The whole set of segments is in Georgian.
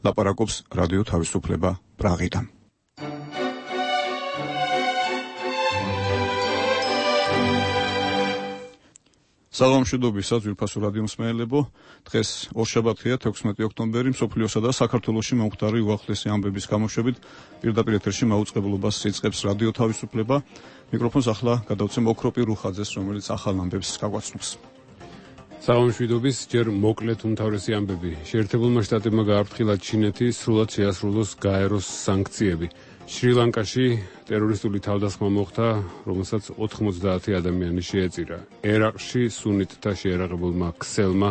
ლაპარაკობს რადიო თავისუფლება პრაღიდან. საღამოშიდობისა ძვირფასო რადიო მსმენელებო, დღეს ორშაბათია 16 ოქტომბერი, მსოფლიოსა და საქართველოში მომხდარი უახლესი ამბების გამოშვებით პირდაპირ ეთერში მაუწყებლობას იწყებს რადიო თავისუფლება. მიკროფონს ახლა გადავცემ ოქროპირ რუხაძეს, რომელიც ახალ ამბებს გაგვაცნობს. საღამოშვიდობის ჯერ მოკლედ უმთავრესი ამბები. შეერთებულმა შტატებმა გააფრთხილა ჩინეთი სრულად შეასრულოს გაეროს სანქციები. შრი-ლანკაში ტერორისტული თავდასხმა მოხდა, რომელსაც 90 ადამიანი შეეწირა. ერაყში სუნიტთა შეერაღებულმა ქსელმა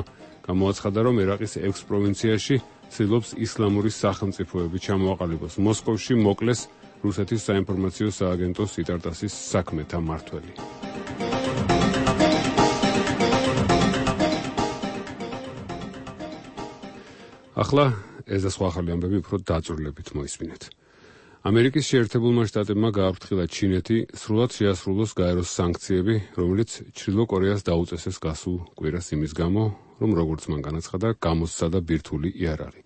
გამოაცხადა, რომ ერაყის 6 პროვინციაში ცდილობს ისლამური სახელმწიფოები ჩამოაყალიბოს. მოსკოვში მოკლეს რუსეთის საინფორმაციო სააგენტოს იტარტასის საქმეთა მმართველი. ახლა ეს და სხვა ახალი ამბები უფრო დაწვრილებით მოისმინეთ. ამერიკის შეერთებულმა შტატებმა გააფრთხილა ჩინეთი სრულად შეასრულოს გაეროს სანქციები, რომელიც ჩრდილო კორეას დაუწესეს გასულ კვირას იმის გამო, რომ როგორც მან განაცხადა, გამოსცადა ბირთვული იარაღი.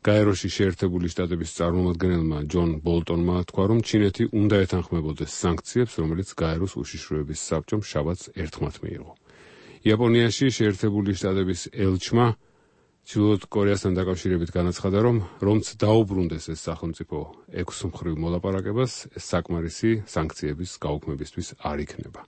გაეროში შეერთებული შტატების წარმომადგენელმა ჯონ ბოლტონმა თქვა, რომ ჩინეთი უნდა ეთანხმებოდეს სანქციებს, რომელიც გაეროს უშიშროების საბჭომ შაბათს ერთხმად მიიღო. იაპონიაში შეერთებული შტატების ელჩმა ჩრდილოეთ კორეასთან დაკავშირებით განაცხადა, რომ რომც დაუბრუნდეს ეს სახელმწიფო 6 მხრივ მოლაპარაკებას, ეს საკმარისი სანქციების გაუქმებისთვის არ იქნება.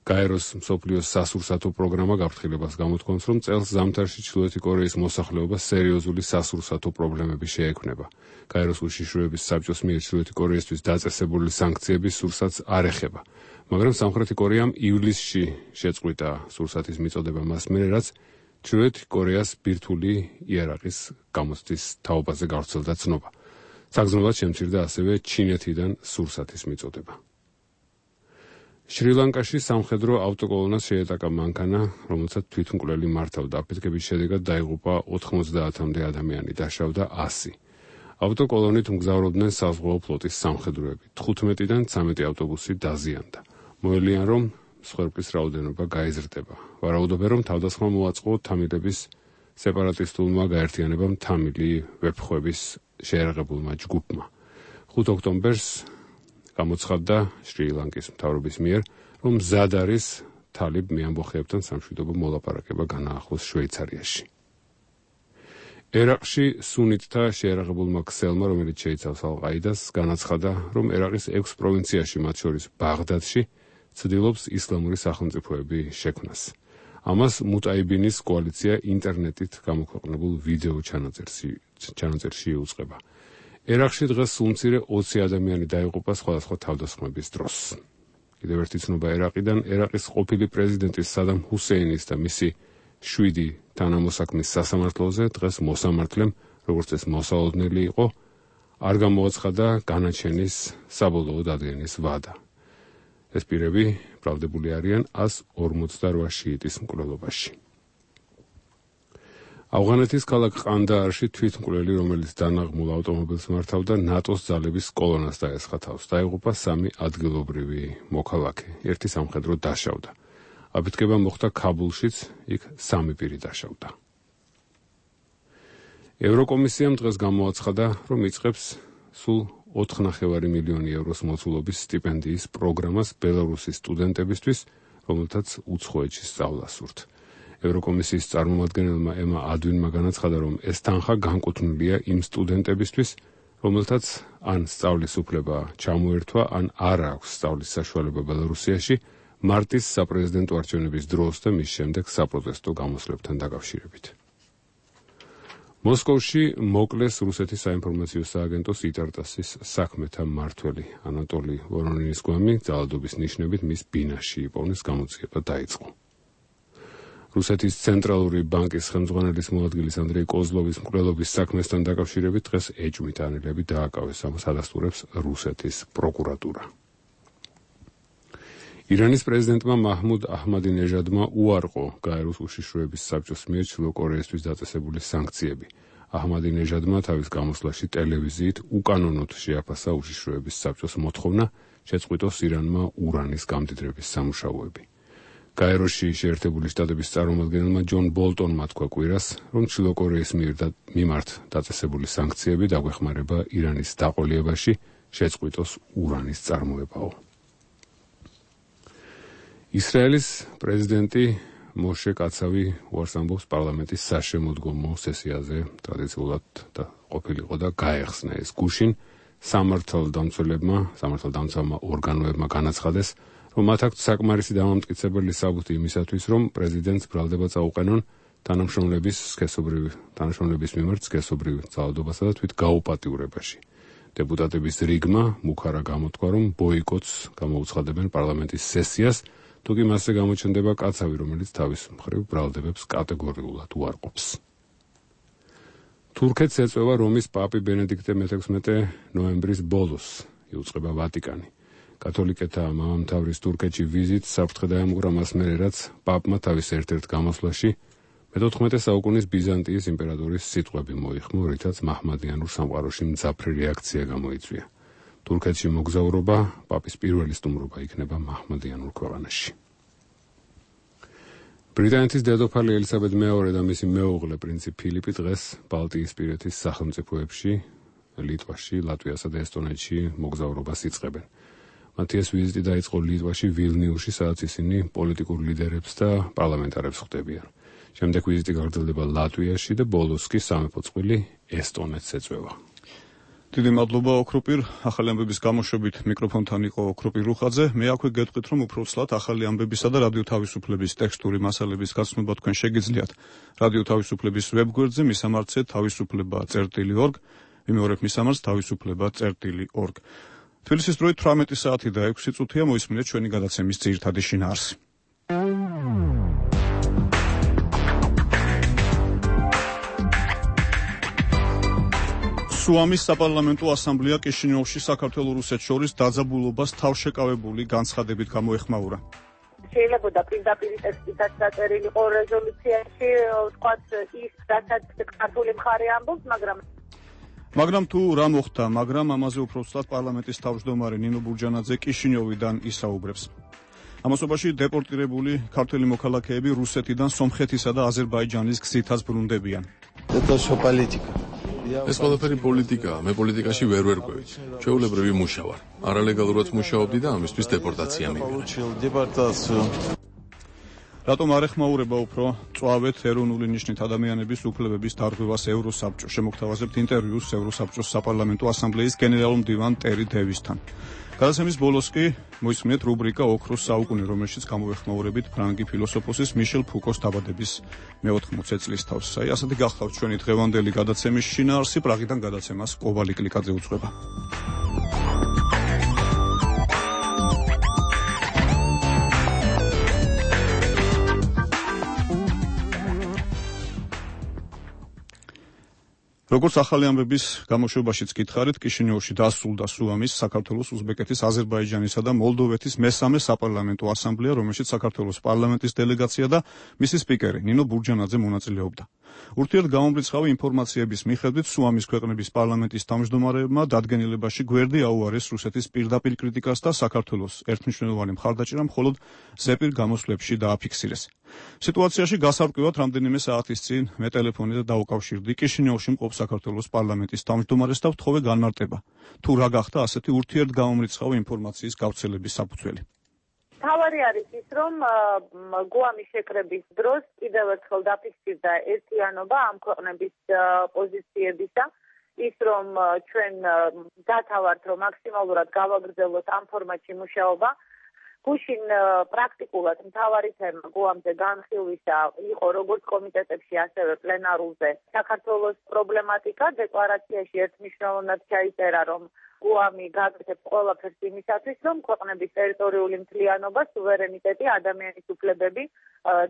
გაეროს მსოფლიოს სასურსათო პროგრამა გაფრთხილებას გამოთქვამს, რომ წელს ზამთარში ჩრდილოეთი კორეის მოსახლეობას სერიოზული სასურსათო პრობლემები შეექმნება. გაეროს უშიშროების საბჭოს მიერ ჩრდილოეთი კორეისთვის დაწესებული სანქციების სურსათს არ ეხება, მაგრამ სამხრეთი კორეამ ივლისში შეწყვიტა სურსათის მიწოდება მას მერე, რაც ჩრდილოეთი კორეას ბირთვული იარაღის გამოცდის თაობაზე გავრცელდა ცნობა. საგრძნობლად შემცირდა ასევე ჩინეთიდან სურსათის მიწოდება. შრი-ლანკაში სამხედრო ავტოკოლონას შეეტაკა მანქანა, რომელსაც თვითმკვლელი მართავდა. აფეთქების შედეგად დაიღუპა 90-მდე ადამიანი, დაშავდა 100. ავტოკოლონით მგზავრობდნენ საზღვაო ფლოტის სამხედროები. 15-დან 13 ავტობუსი დაზიანდა. მოელიან, რომ მსხვერპლის რაოდენობა გაიზრდება. ვარაუდობენ, რომ თავდასხმა მოაწყო თამილების სეპარატისტულმა გაერთიანებამ თამილი ვეფხვების შეერაღებულმა ჯგუფმა. 5 ოქტომბერს გამოცხადდა შრი-ლანკის მთავრობის მიერ, რომ მზად არის თალიბ მეამბოხეებთან სამშვიდობო მოლაპარაკება განაახლოს შვეიცარიაში. ერაყში სუნიტთა შეერაღებულმა ქსელმა, რომელიც შეიცავს ალ-ყაიდას, განაცხადა, რომ ერაყის 6 პროვინციაში, მათ შორის ბაღდადში, ცდილობს ისლამური სახელმწიფოები შექმნას. ამას მუტაიბინის კოალიცია ინტერნეტით გამოქვეყნებულ ვიდეო ჩანაწერში იუწყება. ერაყში დღეს სულმცირე 20 ადამიანი დაიღუპა სხვადასხვა თავდასხმების დროს. კიდევ ერთი ცნობა ერაყიდან. ერაყის ყოფილი პრეზიდენტის სადამ ჰუსეინის და მისი 7 თანამოსაქმის სასამართლოზე დღეს მოსამართლემ, როგორც ეს მოსალოდნელი იყო, არ გამოაცხადა განაჩენის საბოლოო დადგენის ვადა. ეს პირები ბრალდებული არიან 148 შიიტის მკვლელობაში. ავღანეთის ქალაქ ყანდაარში თვითმკვლელი, რომელიც დანაღმულ ავტომობილს მართავდა, ნატოს ძალების კოლონას დაესხა თავს. დაიღუპა 3 ადგილობრივი მოქალაქე, 1 სამხედრო დაშავდა. აფეთქება მოხდა ქაბულშიც, იქ 3 პირი დაშავდა. ევროკომისიამ დღეს გამოაცხადა, რომ იწყებს სულ 4,5 მილიონი ევროს მოცულობის სტიპენდიის პროგრამას ბელარუსის სტუდენტებისთვის, რომელთაც უცხოეთში სწავლა სურთ. ევროკომისიის წარმომადგენელმა ემა ადვინმა განაცხადა, რომ ეს თანხა განკუთვნილია იმ სტუდენტებისთვის, რომელთაც ან სწავლის უფლება ჩამოერთვა, ან არ აქვს სწავლის საშუალება ბელარუსიაში, მარტის საპრეზიდენტო არჩევნების დროს და მის შემდეგ საპროტესტო გამოსვლებთან დაკავშირებით. მოსკოვში მოკლეს რუსეთის საინფორმაციო სააგენტოს იტარტასის საქმეთა მმართველი ანატოლი ვორონინის გვამი ძალადობის ნიშნებით მის ბინაში იპოვნეს, გამოძიება დაიწყო. რუსეთის ცენტრალური ბანკის ხელმძღვანელის მოადგილის ანდრეი კოზლოვის მკვლელობის საქმესთან დაკავშირებით დღეს ეჭვმით ანელები დააკავეს, ამას ადასტურებს რუსეთის პროკურატურა. ირანის პრეზიდენტმა მაჰმუდ აჰმადინეჟადმა უარყო გაეროს უშიშროების საბჭოს მიერ ჩრდილო კორეისთვის დაწესებული სანქციები. აჰმადინეჟადმა თავის გამოსვლაში ტელევიზიით უკანონოდ შეაფასა უშიშროების საბჭოს მოთხოვნა შეწყვიტოს ირანმა ურანის გამდიდრების სამუშაოები. გაეროში შეერთებული შტატების წარმომადგენელმა ჯონ ბოლტონმა თქვა კვირას, რომ ჩრდილო კორეის მიმართ დაწესებული სანქციები დაგვეხმარება ირანის დაყოლიებაში შეწყვიტოს ურანის წარმოებაო. ისრაელის პრეზიდენტი მოშე კაცავი უარს ამბობს პარლამენტის საშემოდგომო სესიაზე ტრადიციულად და ყოფილიყო და გაეხსნა ეს გუშინ სამართალდამცავმა ორგანოებმა განაცხადეს, რომ მათ აქვთ საკმარისი დამამტკიცებელი საბუთი იმისათვის, რომ პრეზიდენტს ბრალდება წაუყენონ თანამშრომლების მიმართ სქესობრივ ძალადობასა და თვით გაუპატიურებაში. დეპუტატების რიგმა მუქარა გამოთქვა, რომ ბოიკოტს გამოუცხადებენ პარლამენტის სესიას, თუ კი მასზე გამოჩნდება კაცავი, რომელიც თავის მხრივ ბრალდებებს კატეგორიულად უარყოფს. თურქეთს ეწევა რომის პაპი ბენედიქტე მე-16 ნოემბრის ბოლოს იუწყება ვატიკანი. კათოლიკეთა მამამთავრის თურქეთში ვიზიტს საფრთხე დაემუქრა მას მერე, რაც პაპმა თავის ერთ-ერთ გამოსვლაში მე-14 საუკუნის ბიზანტიის იმპერატორის სიტყვები მოიხმო, რითაც მაჰმადიანურ სამყაროში მძაფრი რეაქცია გამოიწვია. თურქეთში მოგზაურობა პაპის პირველი სტუმრობა იქნება მაჰმადიანურ ქვეყანაში. ბრიტანეთის დედოფალი ელისაბედ მეორე და მისი მეუღლე პრინცი ფილიპი დღეს ბალტიისპირეთის სახელმწიფოებში, ლიტვაში, ლატვიასა და ესტონეთში მოგზაურობას იწყებენ. მათი ეს ვიზიტი დაიწყო ლიტვაში, ვილნიუსში, სადაც ისინი პოლიტიკურ ლიდერებს და პარლამენტარებს ხვდებიან. შემდეგ ვიზიტი გაგრძელდება ლატვიაში და ბოლოს კი სამეფო წყვილი ესტონეთს ეწევა. დიდი მადლობა ოქროპირ, ახალი ამბების გამოშვებით მიკროფონთან იყო ოქროპირ რუხაძე. მე აქვე გეტყვით, რომ უფრო ცლად ახალი ამბებისა და რადიო თავისუფლების ტექსტური მასალების გაცნობა თქვენ შეგიძლიათ რადიო თავისუფლების ვებგვერდზე მისამართზე თავისუფლება.org, ვიმეორებ მისამართს თავისუფლება.org. თბილისის დროით 18 საათი და 6 წუთია, მოისმინეთ ჩვენი გადაცემის ძირითადი შინაარსი. სუამის საპარლამენტო ასამბლეა კიშინიოვში საქართველოს-რუსეთს შორის დაძაბულობას თავშეკავებული განცხადებით გამოეხმაურა. შეიძლება პირდაპირ ტექსტითაც დაწერილი იყო რეზოლუციაში, ვთქვათ ის, რასაც ქართული მხარე ამბობს, მაგრამ თუ რა მოხდა, ამაზე უფრო ცუდად პარლამენტის თავმჯდომარე ნინო ბურჯანაძე კიშინიოვიდან ისაუბრებს. ამასობაში დეპორტირებული ქართველი მოქალაქეები რუსეთიდან სომხეთისა და აზერბაიჯანის გზითაც ბრუნდებიან. ეს ყველაფერი პოლიტიკაა, მე პოლიტიკაში ვერ ვერკვევი. ჩვეულებრივი მუშა ვარ. არალეგალურად მუშაობდი და ამისთვის დეპორტაცია მივიღე. რატომ არ ეხმაურება უფრო წვავეთ ეროვნული ნიშნით ადამიანების უფლებების დარღვევას ევროსაბჭო? შემოგთავაზებთ ინტერვიუს ევროსაბჭოს საპარლამენტო ასამბლეის გენერალურ მდივან ტერი დევისთან. გადაცემის ბოლოს კი მოისმინეთ რუბრიკა ოქროს საუკუნე, რომელშიც გამოეხმაურებით ფრანგი ფილოსოფოსის მიშელ ფუკოს დაბადების მე-80 წლისთავს. ასეთი გახლავთ ჩვენი დღევანდელი გადაცემის შინაარსი. პრაღიდან გადაცემას კოვალი კლიკაძე უძღვება. როგორც ახალი ამბების გამოშვებაშიც გითხარით, კიშინიოვში დასრულდა სუამის, საქართველოს, უზბეკეთის, აზერბაიჯანისა და მოლდოვეთის მესამე საპარლამენტო ასამბლეა, რომელშიც საქართველოს პარლამენტის დელეგაცია და მისი სპიკერი ნინო ბურჯანაძე მონაწილეობდა. ურთიერთგამომრიცხავი ინფორმაციების მიხედვით სუამის ქვეყნების პარლამენტის თავმჯდომარეებმა დადგენილებაში გვერდი აუარეს რუსეთის პირდაპირ კრიტიკას და საქართველოს ერთმნიშვნელოვანი მხარდაჭერა მხოლოდ ზეპირ გამოსვლებში დააფიქსირეს. სიტუაციაში გასარკვევად რამდენიმე საათის წინ მე ტელეფონით დაუკავშირდი კიშინიოვში მყოფ საქართველოს პარლამენტის თავმჯდომარეს და ვთხოვე განმარტება. თუ რა გახდა ასეთი ურთიერთგამომრიცხავი ინფორმაციის გავრცელების საფუძველი? თავარი არის ის, რომ გუამის შეკრების დროს კიდევ ერთხელ დაფიქსირდა ერთიანობა ამ ქვეყნების პოზიციებისა, ის რომ ჩვენ დათავართ, რომ მაქსიმალურად გავაგრძელოთ ამ ფორმატში მუშაობა. გუშინ პრაქტიკულად მთავარი თემა გუამზე განხილვისა იყო როგორც კომიტეტებში, ასევე პლენარულზე საქართველოს პრობლემატიკა. დეკლარაციაში ერთმნიშვნელოვნად ჩაიწერა, რომ გუამი გაკეთებს ყველაფერს იმისათვის, რომ ქვეყნების ტერიტორიული მთლიანობა, სუვერენიტეტი, ადამიანის უფლებები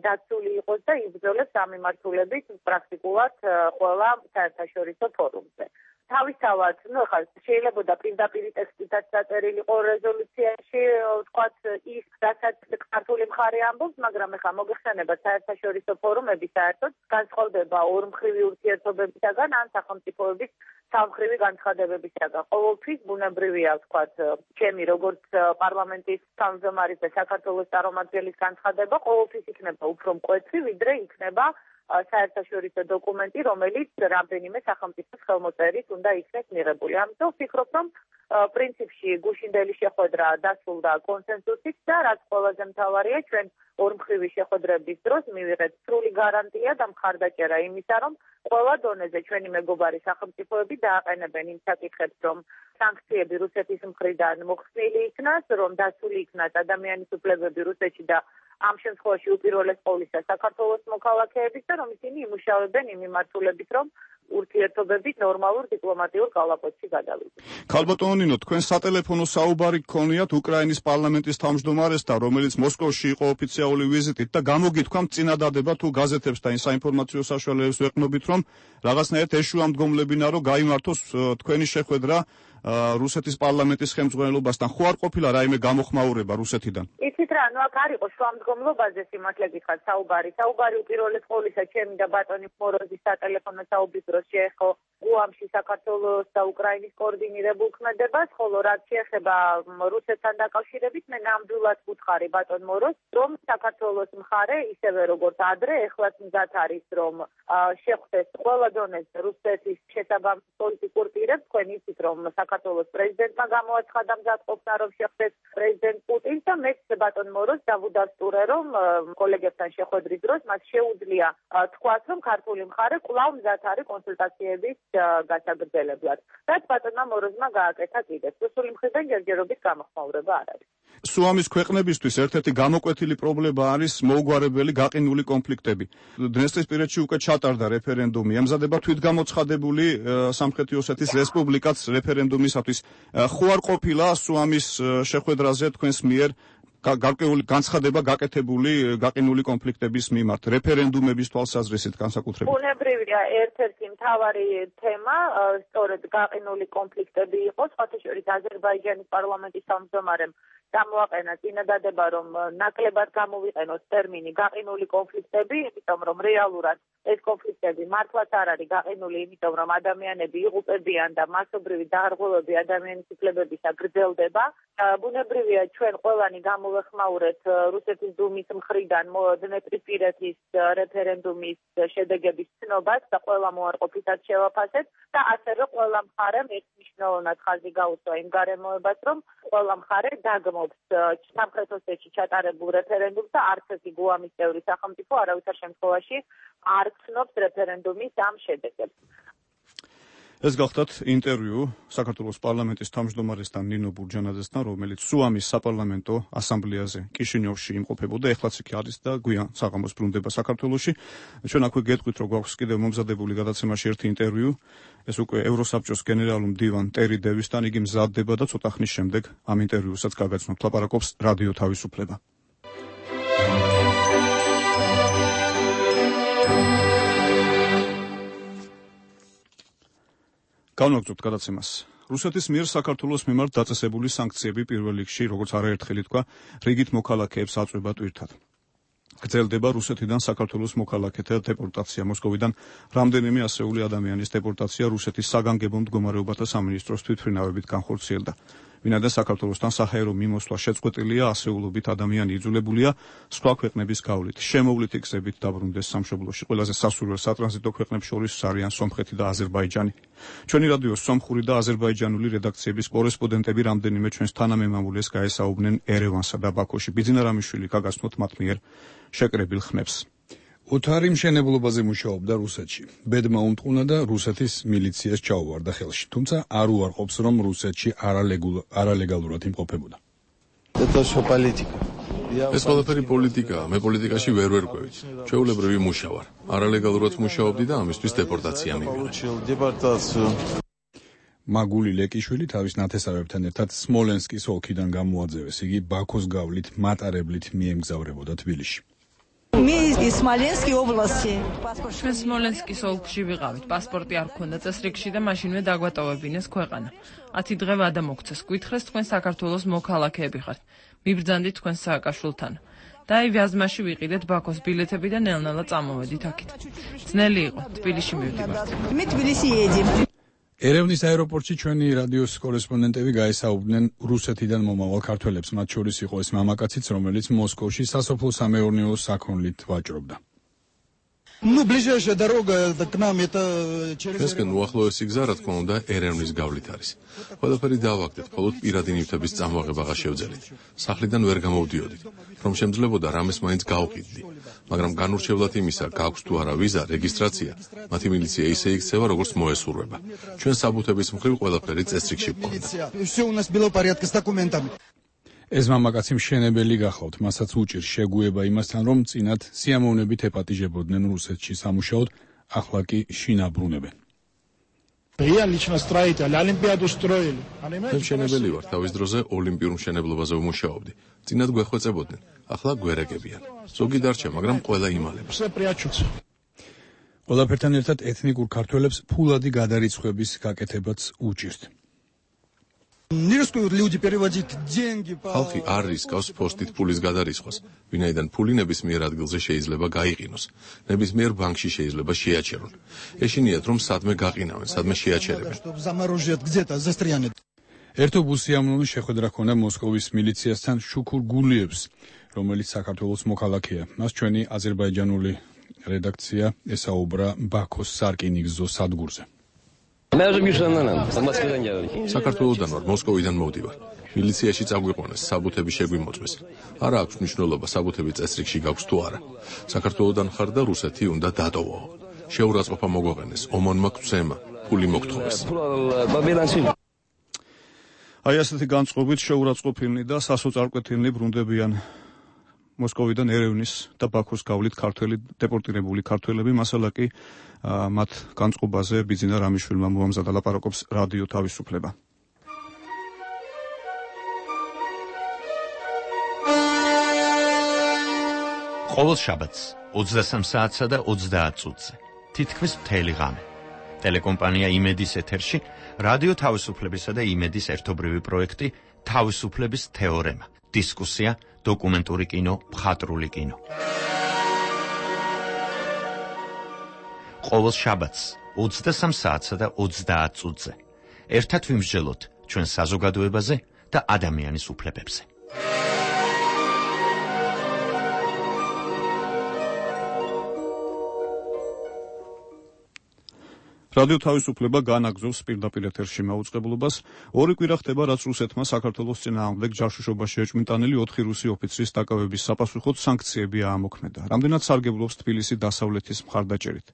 დაცული იყოს და იბრძოლებს ამ მიმართულებით პრაქტიკულად ყველა საერთაშორისო ფორუმზე. თავისთავად, ხა შეიძლება პირდაპირ ტექსტითაც დაწერილი იყო რეზოლუციაში, ვთქვათ ის, რასაც ქართული მხარე ამბობს, მაგრამ ხა მოგეხსენება საერთაშორისო ფორუმები საერთოდ განსხვავდება ორმხრივი ურთიერთობებისაგან ან სახელმწიფოების სამხრივი განცხადებებისაგან. ყოველთვის ბუნებრივია, ვთქვათ, ჩემი როგორც პარლამენტის თავმჯდომარის და საქართველოს წარმომადგენლის განცხადება ყოველთვის იქნება უფრო მკვეთრი, ვიდრე იქნება საერთაშორისო დოკუმენტი, რომელიც რამდენიმე სახელმწიფოს ხელმოწერით უნდა იქნეს მიღებული. ამიტომ ვფიქრობ, რომ პრინციპში გუშინდელი შეხვედრა დასრულდა კონსენსუსით და რაც ყველაზე მთავარია, ჩვენ ორმხრივი შეხვედრების დროს მივიღეთ სრული გარანტია და მხარდაჭერა იმისა, რომ ყველა დონეზე ჩვენი მეგობარი სახელმწიფოები დააყენებენ იმ საკითხებს, რომ სანქციები რუსეთის მხრიდან მოხსნილი იქნას, რომ დასული იქნას ადამიანის უფლებები რუსეთში და ამ შემთხვევაში უპირველეს ყოვლისა საქართველოს მოქალაქეების და რომ ისინი იმუშავებენ იმ მიმართულებით, რომ ურთიერთობები ნორმალურ დიპლომატიურ კალაპოტში გადავიდნენ. ქალბატონო ნინო, თქვენ სატელეფონო საუბარი გქონიათ უკრაინის პარლამენტის თავმჯდომარესთან, რომელიც მოსკოვში იყო ოფიციალური ვიზიტით და გამოგითქვამთ წინადადება თუ გაზეთებს და საინფორმაციო საშუალებებს ვეყნობით, რომ რაღაცნაირად ეშუამდგომლებინა, რომ გაიმართოს თქვენი შეხვედრა რუსეთის პარლამენტის ხელმძღვანელობასთან. ხო არ ყოფილა რაიმე გამოხმაურება რუსეთიდან? იცით რა, აქ არ იყო შუამდგომლობაზე სიმართლე გითხრათ საუბარი. საუბარი უპირველეს ყოვლისა ჩემი და ბატონი მოროზის სატელეფონო საუბრის დროს შეეხო გუამში საქართველოს და უკრაინის კოორდინირებულ ქმედებას, ხოლო რაც შეეხება რუსეთთან დაკავშირებით, მე ნამდვილად ვუთხარი ბატონ მოროზს, რომ საქართველოს მხარე ისევე როგორც ადრე, ეხლაც მზად არის, რომ შეხვდეს ყველა დონეზე რუსეთის შესაბამის პოლიტიკურ პირებს. თქვენ იცით, რომ საქართველოს პრეზიდენტმა გამოაცხადა მზადყოფნა, რომ შეხვდეს პრეზიდენტ პუტინს და მე ბატონ მოროზს დავუდასტურე, რომ კოლეგებთან შეხვედრის დროს მას შეუძლია თქვას, რომ ქართული მხარე კვლავ მზად არის კონსულტაციების გასაგრძელებლად. რაც ბატონმა მოროზმა გააკეთა კიდეც. რუსული მხრიდან ჯერჯერობით გამოხმაურება არ არის. სუამის ქვეყნებისთვის ერთ-ერთი გამოკვეთილი პრობლემა არის მოუგვარებელი გაყინული კონფლიქტები. დნესტრისპირეთში უკვე ჩატარდა რეფერენდუმი. ემზადება თვითგამოცხადებული სამხრეთი ოსეთის რესპუბლიკაც რეფერენდუმისათვის. ხო არ ყოფილა სუამის შეხვედრაზე თქვენს მიერ გარკვეული განცხადება გაკეთებული გაყინული კონფლიქტების მიმართ რეფერენდუმების თვალსაზრისით განსაკუთრებით? ბუნებრივია, ერთ-ერთი მთავარი თემა სწორედ გაყინული კონფლიქტები იყო. სხვათა შორის აზერბაიჯანის პარლამენტის თავმჯდომარემ გამოაყენა წინადადება, რომ ნაკლებად გამოვიყენოს ტერმინი გაყინული კონფლიქტები, იმიტომ რომ რეალურად ეს კონფლიქტები მართლაც არ არის გაყინული, იმიტომ რომ ადამიანები იღუპებიან და მასობრივი დაღრღილვები ადამიანის უფლებებისა გრძელდება. ბუნებრივია, ჩვენ ყველანი გამოვეხმაურეთ რუსეთის დუმის მხრიდან დნესტრისპირეთის რეფერენდუმის შედეგების ცნობას და ყველა მოარყოფითაც შევაფასეთ და ასევე ყველა მხარემ ერთმნიშვნელოვნად ხაზი გაუსვა იმ გარემოებას, რომ ყველა მხარე დაგმობს სამხრეთ ოსეთში ჩატარებულ რეფერენდუმს და არც ერთი გუამის წევრი სახელმწიფო არავითარ შემთხვევაში არ ცნობს რეფერენდუმის ამ შედეგებს. ეს გახლდათ ინტერვიუ საქართველოს პარლამენტის თავმჯდომარესთან ნინო ბურჯანაძესთან, რომელიც სუამის საპარლამენტო ასამბლეაზე კიშინიოვში იმყოფებოდა, ეხლაც იქ არის და გვიან საღამოს ბრუნდება საქართველოში. ჩვენ აქვე გეტყვით, რომ გვაქვს კიდევ მომზადებული გადაცემაში ერთი ინტერვიუ, ეს უკვე ევროსაბჭოს გენერალურ მდივან ტერი დევისთან, იგი მზადდება და ცოტა ხნის შემდეგ ამ ინტერვიუსაც გაგაცნობთ. ლაპარაკობს რადიო თავისუფლება. განვაგრძობთ გადაცემას. რუსეთის მიერ საქართველოს მიმართ დაწესებული სანქციები პირველ რიგში, როგორც არაერთხელ ითქვა, რიგით მოქალაქეებს აწვება ტვირთად. გრძელდება რუსეთიდან საქართველოს მოქალაქეთა დეპორტაცია. მოსკოვიდან რამდენიმე ასეული ადამიანის დეპორტაცია რუსეთის საგანგებო მდგომარეობათა სამინისტროს თვითმფრინავებით განხორციელდა. ვინაიდან საქართველოსთან საჰაერო მიმოსვლა შეწყვეტილია, ასეულობით ადამიანი იძულებულია სხვა ქვეყნების გავლით, შემოვლითი გზებით დაბრუნდეს სამშობლოში. ყველაზე სასურველ სატრანზიტო ქვეყნებს შორის არიან სომხეთი და აზერბაიჯანი. ჩვენი რადიოს სომხური და აზერბაიჯანული რედაქციების კორესპონდენტები რამდენიმე ჩვენს თანამემამულეს გაესაუბრნენ ერევანსა და ბაქოში. ბიძინა რამიშვილი გაგაცნოთ მათ მიერ შეკრებილ ხმებს. ოთარი მშენებლობაზე მუშაობდა რუსეთში. ბედმა უმტყუნა და რუსეთის მილიციას ჩაუვარდა ხელში. თუმცა არ უარყოფს, რომ რუსეთში არალეგალურად იმყოფებოდა. ეს ყველაფერი პოლიტიკაა. მე პოლიტიკაში ვერ ვერკვევი. ჩვეულებრივი მუშა ვარ. არალეგალურად მუშაობდი და ამისთვის დეპორტაცია მივიღე. მაგული ლეკიშვილი თავის ნათესავებთან ერთად სმოლენსკის ოლქიდან გამოაძევეს. იგი ბაქოს გავლით მატარებლით მიემგზავრებოდა თბილისში. ჩვენ სმოლენსკის ოლქში ვიყავით. პასპორტი არ გქონდა წესრიგში და მაშინვე დაგვატოვებინეს ქვეყანა. 10 დღე ვადა მოგცეს. გითხრეს თქვენ საქართველოს მოქალაქეები ხართ. მიბრძანდით თქვენს სააკაშვილთან. და აი ვიაზმაში ვიყიდეთ ბაქოს ბილეთები და ნელ-ნელა წამოვედით აქეთ. ძნელი იყო. თბილისში მივდივართ. ერევნის აეროპორტში ჩვენი რადიოს კორესპონდენტები გაესაუბრნენ რუსეთიდან მომავალ ქართველებს, მათ შორის იყო ეს მამაკაციც, რომელიც მოსკოვში სასოფლო-სამეურნეო საქონლით ვაჭრობდა. ближайшая дорога к нам это через ესკენ უახლოესი გზა რა თქმა უნდა ერევნის გავლით არის. ყველაფერი დავაგდეთ, მხოლოდ პირადი ნივთების წამოაღება შევძელით. სახლიდან ვერ გამოვდიოდით, რომ შემძლებოდა რამეს მაინც გავყიდდი. მაგრამ განურჩევლად იმისა, გაქვს თუ არა ვიზა, რეგისტრაცია, მათი მილიცია ისე იქცევა, როგორც მოესურვება. ჩვენ საბუთების მხრივ ყველაფერი წესრიგში გვქონდა. все у нас было в порядке с документами. ეს მამაკაცი მშენებელი გახლავთ, მასაც უჭირს შეგუება იმასთან, რომ წინათ სიამოვნებით ეპატიჟებოდნენ რუსეთში სამუშაოდ, ახლა კი შინაბრუნებენ. Я лично строитель, олимпиаду строили. მე მშენებელი ვარ, თავის დროზე ოლიმპიურ მშენებლობაზე ვმუშაობდი. წინათ გვეხვეწებოდნენ, ახლა გვერეგებიან. ზოგი დარჩა, მაგრამ ყველა იმალება. Все прячутся. ყველაფერთან ერთად ეთნიკურ ქართველებს ფულადი გადარიცხვების გაკეთებაც უჭირთ. Не рискуют люди переводить деньги по ხალხი არ რისკავს ფოსტით ფულის გადარიცხვას, ვინაიდან ფული ნებისმიერ ადგილზე შეიძლება გაიყინოს, ნებისმიერ ბანკში შეიძლება შეაჩერონ. ეშინიათ, რომ სადმე გაყინავენ, სადმე შეაჩერებენ. чтобы заморожат где-то застрянет. ერთო ბუსიამნული შეხვედრა ჰქონდა მოსკოვის მილიციასთან შუქურ გულიევს, რომელიც საქართველოს მოქალაქეა. მას ჩვენი აზერბაიჯანული რედაქცია ესაუბრა ბაქოს სარკინიგზო სადგურზე. საქართველოდან ვარ, მოსკოვიდან მოვდივარ. მილიციაში წაგვიყვანეს, საბუთები შეგვიმოწმეს. არა აქვს მნიშვნელობა, საბუთები წესრიგში გაქვს თუ არა. საქართველოდან ხარ და რუსეთი უნდა დატოვო. შეურაცხყოფა მოგვაყენეს, ომონმა გვცემა, ფული მოგთხოვეს. აი ასეთი განწყობით შეურაცხყოფილნი და სასოწარკვეთილნი ბრუნდებიან მოსკოვიდან ერევნის და ბაქოს გავლით ქართველი დეპორტირებული ქართველები, მასალა კი მათ განწყობაზე ბიძინა რამიშვილმა მოამზადა, ლაპარაკობს რადიო თავისუფლება. ყოველ შაბათს 23 საათსა და 30 წუთზე თითქმის მთელი ღამე ტელეკომპანია იმედის ეთერში რადიო თავისუფლებისა და იმედის ერთობრივი პროექტი თავისუფლების თეორემა, დისკუსია, დოკუმენტური კინო, მხატვრული კინო. ყოველ შაბათს 23 საათსა და 30 წუთზე ერთად ვიმსჯელოთ ჩვენ საზოგადოებაზე და ადამიანის უფლებებზე. რადიო თავისუფლება განაგზობს პირდაპირ ეთერში მაუწყებლობას. ორი კვირა ხდება, რაც რუსეთმა საქართველოს წინააღმდეგ ჯაშუშობაში ეჭვმიტანილი 4 რუსი ოფიცრის დაკავების საპასუხოდ სანქციები აამოქმედა. რამდენად სარგებლობს თბილისი დასავლეთის მხარდაჭერით.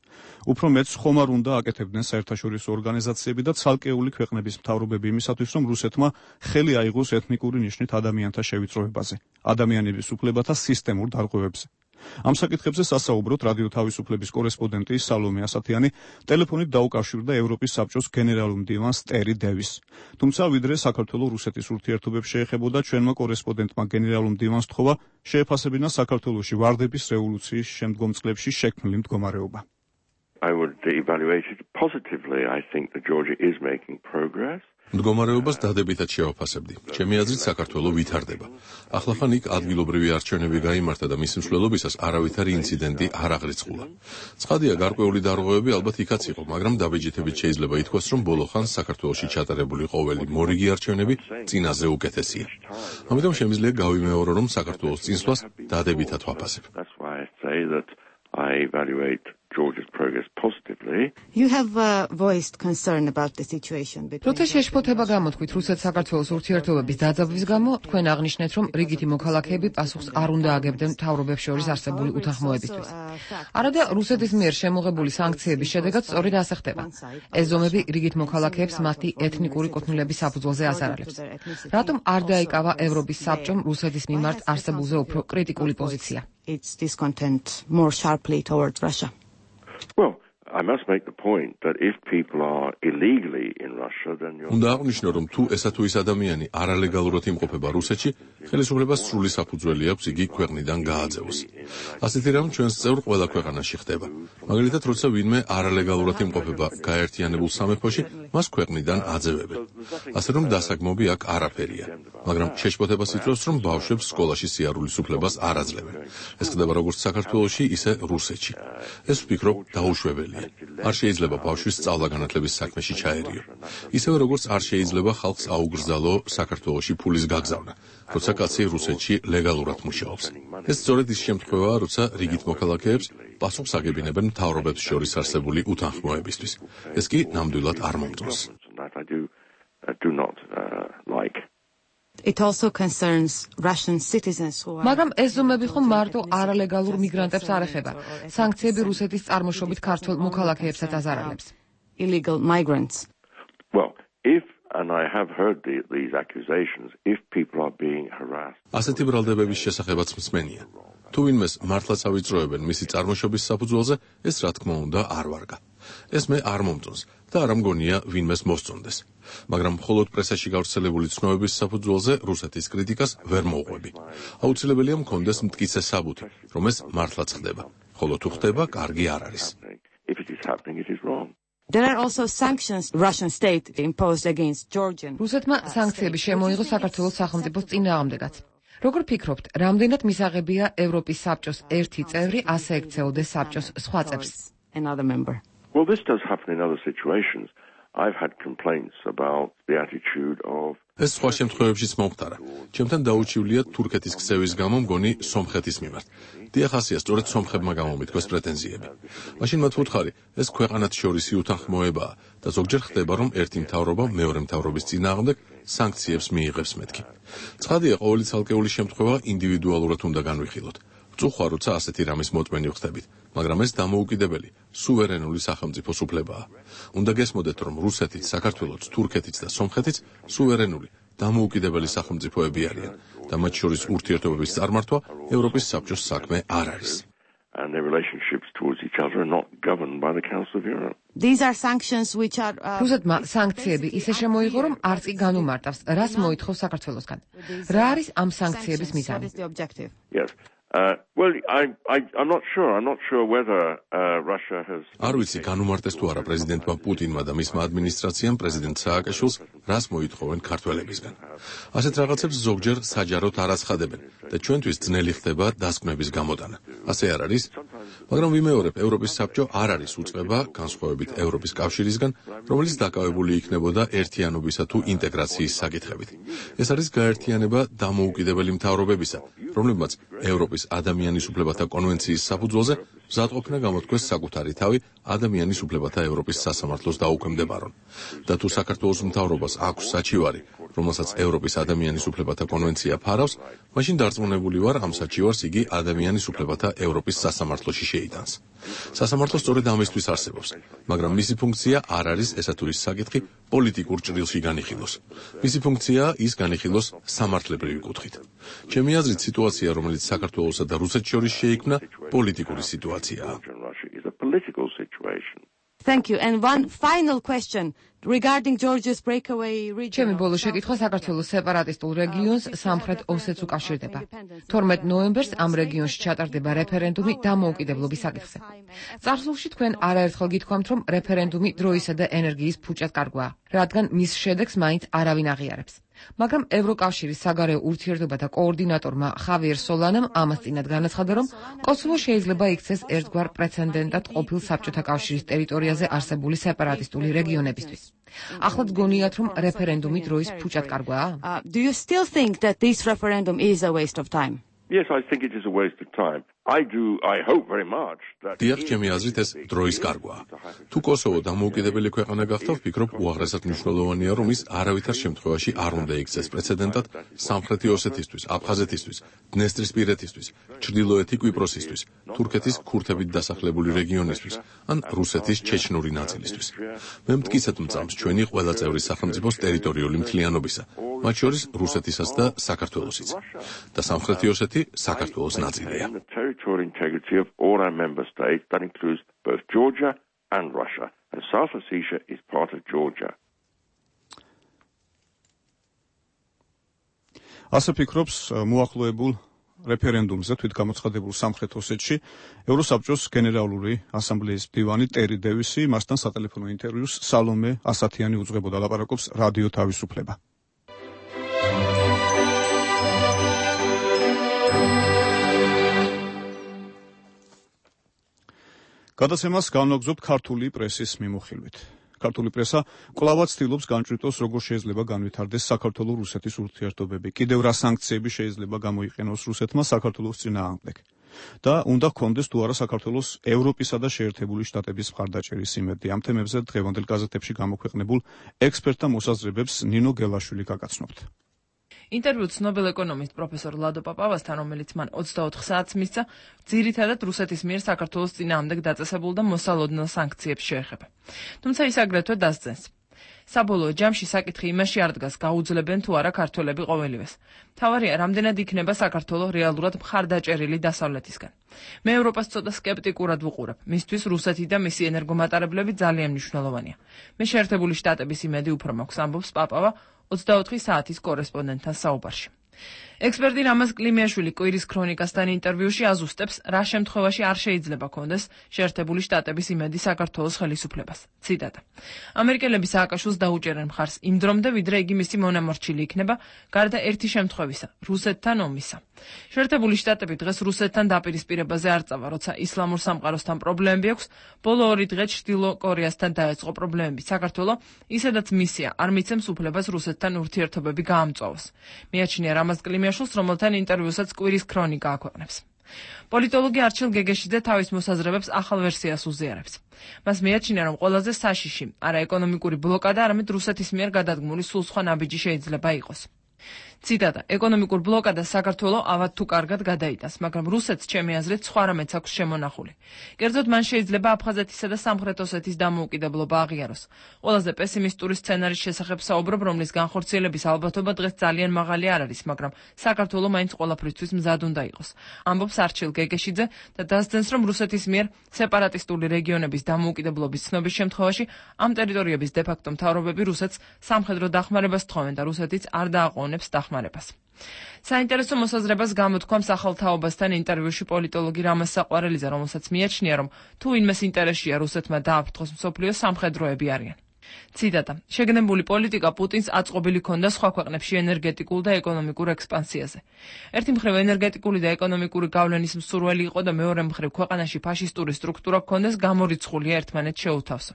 უფრო მეც ხომ არ უნდა აკეთებდნენ საერთაშორისო ორგანიზაციები და ცალკეული ქვეყნების მთავრობები იმისათვის, რომ რუსეთმა ხელი აიღოს ეთნიკური ნიშნით ადამიანთა შევიწროებაზე, ადამიანების უფლებათა სისტემურ დარღვევებზე. ამ საკითხებზე სასაუბროთ რადიო თავისუფლების კორესპონდენტი სალომე ასათიანი ტელეფონით დაუკავშირდა ევროპის საბჭოს გენერალურ მდივანს ტერი დევის. თუმცა ვიდრე საქართველო-რუსეთის ურთიერთობებს შეეხებოდა, ჩვენმა კორესპონდენტმა გენერალურ მდივანს თხოვა შეეფასებინა საქართველოში ვარდების რევოლუციის შემდგომ წლებში შექმნილი მდგომარეობა. I would evaluate it positively. I think that Georgia is making progress. მდგომარეობას დადებითად შევაფასებდი. ჩემი აზრით საქართველო ვითარდება. ახლახან იქ ადგილობრივი არჩევნები გაიმართა და მის მსვლელობისას არავითარი ინციდენტი არ აღრიცხულა. ცხადია, გარკვეული დარღვევები ალბათ იქაც იყო, მაგრამ დაბეჭდებით შეიძლება ითქვას, რომ ბოლო ხანს საქართველოში ჩატარებული ყოველი მორიგი არჩევნები წინაზე უკეთესია. ამიტომ შემიძლია გავიმეორო, რომ საქართველოს წინსვლას დადებითად ვაფასებ. That's why I say that I evaluate Georgia's progress positively. You have voiced concern about the situation between. როცა შეშფოთება გამოთქვით რუსეთ-საქართველოს ურთიერთობების დაძაბვის გამო, თქვენ აღნიშნეთ, რომ რიგითი მოქალაქეები პასუხს არ უნდა აგებდნენ მთავრობებს შორის არსებული უთანხმოებისთვის. არადა რუსეთის მიერ შემოღებული სანქციების შედეგად სწორედ ასე ხდება. ეს ზომები რიგით მოქალაქეებს მათი ეთნიკური კუთვნილების საფუძველზე აზარალებს. რატომ არ დაიკავა ევროპის საბჭომ რუსეთის მიმართ არსებულზე უფრო კრიტიკული პოზიცია? Its discontent more sharply towards Russia. Well, I must make the point that if people are illegally in Russia, then you're... უნდა აღნიშნო, რომ თუ ესა თუ ის ადამიანი არალეგალურად იმყოფება რუსეთში, ხელისუფლებას სრული საფუძველი აქვს იგი ქვეყნიდან გააძევოს. ასეთი რამ ჩვენს წევრ ყველა ქვეყანაში ხდება. მაგალითად, როცა ვინმე არალეგალურად იმყოფება გაერთიანებულ სამეფოში, მას ქვეყნიდან აძევებენ. ასე რომ დასაგმობი აქ არაფერია, მაგრამ შეშფოთებას იწვევს, რომ ბავშვებს სკოლაში სიარულის უფლებას არ აძლევენ. ეს ხდება როგორც საქართველოში, ისე რუსეთში. ეს ვფიქრობ დაუშვებელია. არ შეიძლება ბავშვის სწავლა-განათლების საქმეში ჩაერიო. ისევე როგორც არ შეიძლება ხალხს აუგრძალო საქართველოში ფულის გაგზავნა, როცა კაცი რუსეთში ლეგალურად მუშაობს. ეს სწორედ ის შემთხვევაა, როცა რიგით მოქალაქეებს პასუხს აგებინებენ მთავრობებს შორის არსებული უთანხმოებისთვის. ეს კი ნამდვილად არ მომწონს. It also concerns Russian citizens who are მაგრამ ეს ზომები ხომ მარტო არალეგალურ მიგრანტებს არ ეხება. სანქციები რუსეთის წარმოშობით ქართველ მოქალაქეებსაც აზარალებს. illegal migrants. Well, if and I have heard these accusations, if people are being harassed. ასეთი ბრალდებების შესახებაც მსმენია. თუ ვინმეს მართლაც ავიწროებენ მისი წარმოშობის საფუძველზე, ეს რა თქმა უნდა არ ვარგა. ეს მე არ მომწონს და არ ამგონია ვინმეს მოსწონდეს. მაგრამ მხოლოდ პრესაში გავრცელებული ცნობების საფუძველზე რუსეთის კრიტიკას ვერ მოვყვები. აუცილებელია მქონდეს მტკიცე საბუთი, რომ ეს მართლაც ხდება. ხოლო თუ ხდება, კარგი არ არის. If it is happening, it is wrong. There are also sanctions Russian state imposed against Georgian. რუსეთმა სანქციები შემოიღო საქართველოს სახელმწიფოს წინააღმდეგაც. როგორ ფიქრობთ, რამდენად მისაღებია ევროპის საბჭოს ერთი წევრი ასე ექცეოდეს საბჭოს სხვა წევრს? Another member. Well, this does happen in other situations. I've had complaints about the attitude of ეს სხვა შემთხვევებშიც მომხდარა. ჩემთან დაუჩივლია თურქეთის ქცევის გამო მგონი სომხეთის მიმართ. დიახ, ასეა, სწორედ სომხებმა გამომითქვეს პრეტენზიები. მაშინ მათ ვუთხარი, ეს ქვეყანათ შორისი უთანხმოებაა და ზოგჯერ ხდება, რომ ერთი მთავრობა მეორე მთავრობის წინააღმდეგ სანქციებს მიიღებს მეთქი. ცხადია, ყოველი ცალკეული შემთხვევა ინდივიდუალურად უნდა განვიხილოთ. ვწუხვა, როცა ასეთი რამის მოწმენი ვხდებით, მაგრამ ეს დამოუკიდებელი, სუვერენული სახელმწიფოს უფლებაა. უნდა გესმოდეთ, რომ რუსეთიც, საქართველოც, თურქეთიც და სომხეთიც სუვერენული, დამოუკიდებელი სახელმწიფოები არიან და მათ შორის ურთიერთობების წარმართვა ევროპის საბჭოს საქმე არ არის. and their relationships towards each other are not governed by the Council of Europe. These are sanctions which are რუსეთმა სანქციები ისე შემოიღო, რომ არც კი განუმარტავს, რას მოითხოვს საქართველოსგან. რა არის ამ სანქციების მიზანი? Yes. Well, I'm not sure. I'm not sure whether Russia has. არ ვიცი, განუმარტეს თუ არა პრეზიდენტმა პუტინმა და მისმა ადმინისტრაციამ პრეზიდენტ სააკაშვილს რას მოითხოვენ ქართველებისგან. ასეთ რაღაცებს ზოგჯერ საჯაროდ არ აცხადებენ და ჩვენთვის ძნელი ხდება დასკვნების გამოტანა. ასე არ არის? მაგრამ ვიმეორებ, ევროპის საბჭო არ არის უწყება, განსხვავებით ევროპის კავშირისგან, რომელიც დაკავებული იქნებოდა ერთიანობისა თუ ინტეგრაციის საკითხებით. ეს არის გაერთიანება დამოუკიდებელი მთავრობებისა, რომლებმაც ევროპის ადამიანის უფლებათა კონვენციის საფუძველზე მზადყოფნა გამოთქვეს საკუთარი თავი ადამიანის უფლებათა ევროპის სასამართლოს დაუქვემდებარონ. და თუ საქართველოს მთავრობას აქვს საჩივარი, რომელსაც ევროპის ადამიანის უფლებათა კონვენცია ფარავს, მაშინ დარწმუნებული ვარ, ამ საჩივარს იგი ადამიანის უფლებათა ევროპის სასამართლოში შეიტანს. სასამართლო სწორედ ამისთვის არსებობს, მაგრამ მისი ფუნქცია არ არის ესა თუ ის საკითხი პოლიტიკურ ჭრილში განიხილოს. მისი ფუნქციაა ის განიხილოს სამართლებრივი კუთხით. ჩემი აზრით, სიტუაცია, რომელიც საქართველოსა და რუსეთს შორის შეიქმნა, პოლიტიკური სიტუაციაა. Thank you. And one final question regarding Georgia's breakaway region. ჩემი ბოლო შეკითხვა საქართველოს სეპარატისტულ რეგიონს სამხრეთ ოსეთს უკავშირდება. 12 ნოემბერს ამ რეგიონში ჩატარდება რეფერენდუმი დამოუკიდებლობის საკითხზე. წარსულში თქვენ არაერთხელ გითქვამთ, რომ რეფერენდუმი დროისა და ენერგიის ფუჭად კარგვაა, რადგან მის შედეგს მაინც არავინ აღიარებს. მაგრამ ევროკავშირის საგარეო ურთიერთობათა კოორდინატორმა ხავიერ სოლანამ ამას წინათ განაცხადა, რომ კოსოვო შეიძლება იქცეს ერთგვარ პრეცედენტად ყოფილ საბჭოთა კავშირის ტერიტორიაზე არსებული სეპარატისტული რეგიონებისთვის. ახლაც გონიათ, რომ რეფერენდუმი დროის ფუჭად კარგვაა? Do you still think that this referendum is a waste of time? Yes, I think it is a waste of time. I hope very much that დიახ, ჩემი აზრით ეს დროის კარგვაა. თუ კოსოვო დამოუკიდებელი ქვეყანა გახდა, ვფიქრობ, უაღრესად მნიშვნელოვანია, რომ ის არავითარ შემთხვევაში არ უნდა იქცეს პრეცედენტად სამხრეთი ოსეთისთვის, აფხაზეთისთვის, დნესტრისპირეთისთვის, ჩრდილოეთი კვიპროსისთვის, თურქეთის ქურთებით დასახლებული რეგიონისთვის, ან რუსეთის ჩეჩნური ნაწილისთვის. მე მტკიცედ მწამს ჩვენი ყველა წევრი სახელმწიფოს ტერიტორიული მთლიანობისა, მათ შორის რუსეთისაც და საქართველოსიც. და სამხრეთი ოსეთი საქართველოს ნაწილია. territorial integrity of all our member states. That includes both Georgia and Russia. And South Ossetia is part of Georgia. ასე ფიქრობს მოახლოებულ რეფერენდუმზე თვითგამოცხადებულ სამხრეთ ოსეთში ევროსაბჭოს გენერალური ასამბლეის მდივანი ტერი დევისი მასთან სატელეფონო ინტერვიუს სალომე ასათიანი უძღვებოდა, ლაპარაკობს რადიო თავისუფლება. გადაცემას განვაგრძობთ ქართული პრესის მიმოხილვით. ქართული პრესა კვლავაც ცდილობს განჭრიტოს, როგორ შეიძლება განვითარდეს საქართველო-რუსეთის ურთიერთობები, კიდევ რა სანქციები შეიძლება გამოიყენოს რუსეთმა საქართველოს წინააღმდეგ და უნდა ჰქონდეს თუ არა საქართველოს ევროპისა და შეერთებული შტატების მხარდაჭერის იმედი. ამ თემებზე დღევანდელ გაზეთებში გამოქვეყნებულ ექსპერტთა მოსაზრებებს ნინო გელაშვილი გაგაცნობთ. ინტერვიუ ცნობილ ეკონომისტ პროფესორ ლადო პაპავასთან, რომელიც მან 24 საათს მისცა, ძირითადად რუსეთის მიერ საქართველოს წინააღმდეგ დაწესებულ და მოსალოდნელ სანქციებს შეეხება. თუმცა ის აგრეთვე დასძენს. საბოლოო ჯამში საკითხი იმაში არ დგას, გაუძლებენ თუ არა ქართველები ყოველივეს. მთავარია, რამდენად იქნება საქართველო რეალურად მხარდაჭერილი დასავლეთისგან. მე ევროპას ცოტა სკეპტიკურად ვუყურებ. მისთვის რუსეთი და მისი ენერგომატარებლები ძალიან მნიშვნელოვანია. მე შეერთებული შტატების იმედი უფრო მაქვს, ამბობს პაპავა 24 საათის კორესპონდენტთან საუბარში. ექსპერტი რამაზ კლიმიაშვილი კვირის ქრონიკასთან ინტერვიუში აზუსტებს, რა შემთხვევაში არ შეიძლება კონდეს შეერთებული შტატების იმედი საქართველოს ხელისუფლებას. ციტატა. ამერიკელები სააკაშვილს დაუჭერენ მხარს იმ დრომდე, ვიდრე იგი მისი მონამორჩილი იქნება, გარდა ერთი შემთხვევისა, რუსეთთან ომისა. შეერთებული შტატები დღეს რუსეთთან დაპირისპირებაზე არ წავა, როცა ისლამურ სამყაროსთან პრობლემები აქვს, ბოლო 2 დღე ჩრდილო კორეასთან დაეწყო პრობლემები. საქართველო ისედაც მისია არ მიცემს უფლებას რუსეთთან ურთიერთობები გაამწვავოს. მიაჩნია რამაზ კლიმიაშვილს, რომელთან ინტერვიუსაც კვირის ქრონიკა აქვეყნებს. პოლიტოლოგი არჩილ გეგეშიძე თავის მოსაზრებებს ახალ ვერსიას უზიარებს. მას მიაჩნია, რომ ყველაზე საშიში არა ეკონომიკური ბლოკადა, არამედ რუსეთის მიერ გადადგმული სულ სხვა ნაბიჯი შეიძლება იყოს. ციტატა. ეკონომიკურ ბლოკადას საქართველო ავად თუ კარგად გადაიტანს, მაგრამ რუსეთს ჩემი აზრით სხვა რამეც აქვს შემონახული. კერძოდ მან შეიძლება აფხაზეთისა და სამხრეთ ოსეთის დამოუკიდებლობა აღიაროს. ყველაზე პესიმისტური სცენარის შესახებ საუბრობ, რომლის განხორციელების ალბათობა დღეს ძალიან მაღალი არ არის, მაგრამ საქართველო მაინც ყველაფრისთვის მზად უნდა იყოს. ამბობს არჩილ გეგეშიძე და დასძენს, რომ რუსეთის მიერ სეპარატისტული რეგიონების დამოუკიდებლობის ცნობის შემთხვევაში ამ ტერიტორიების დე-ფაქტო მთავრობები რუსეთს სამხედრო დახმარებას თხოვენ და რუსეთიც არ დააყოვნებს დახმარებას. საინტერესო მოსაზრებას გამოთქვამს ახალ თაობასთან ინტერვიუში პოლიტოლოგი რამაზ საყვარელიძე, რომელსაც მიაჩნია, რომ თუ ვინმეს ინტერესია რუსეთმა დააფრთხოს მსოფლიო, სამხედროები არიან. ციტატა. შეგნებული პოლიტიკა პუტინს აწყობილი ქონდა სხვა ქვეყნებში ენერგეტიკულ და ეკონომიკურ ექსპანსიაზე. ერთი მხრივ ენერგეტიკული და ეკონომიკური გავლენის მსურველი იყო და მეორე მხრივ ქვეყანაში ფაშისტური სტრუქტურა ქონდეს გამორიცხულია ერთმანეთს შეუთავსო.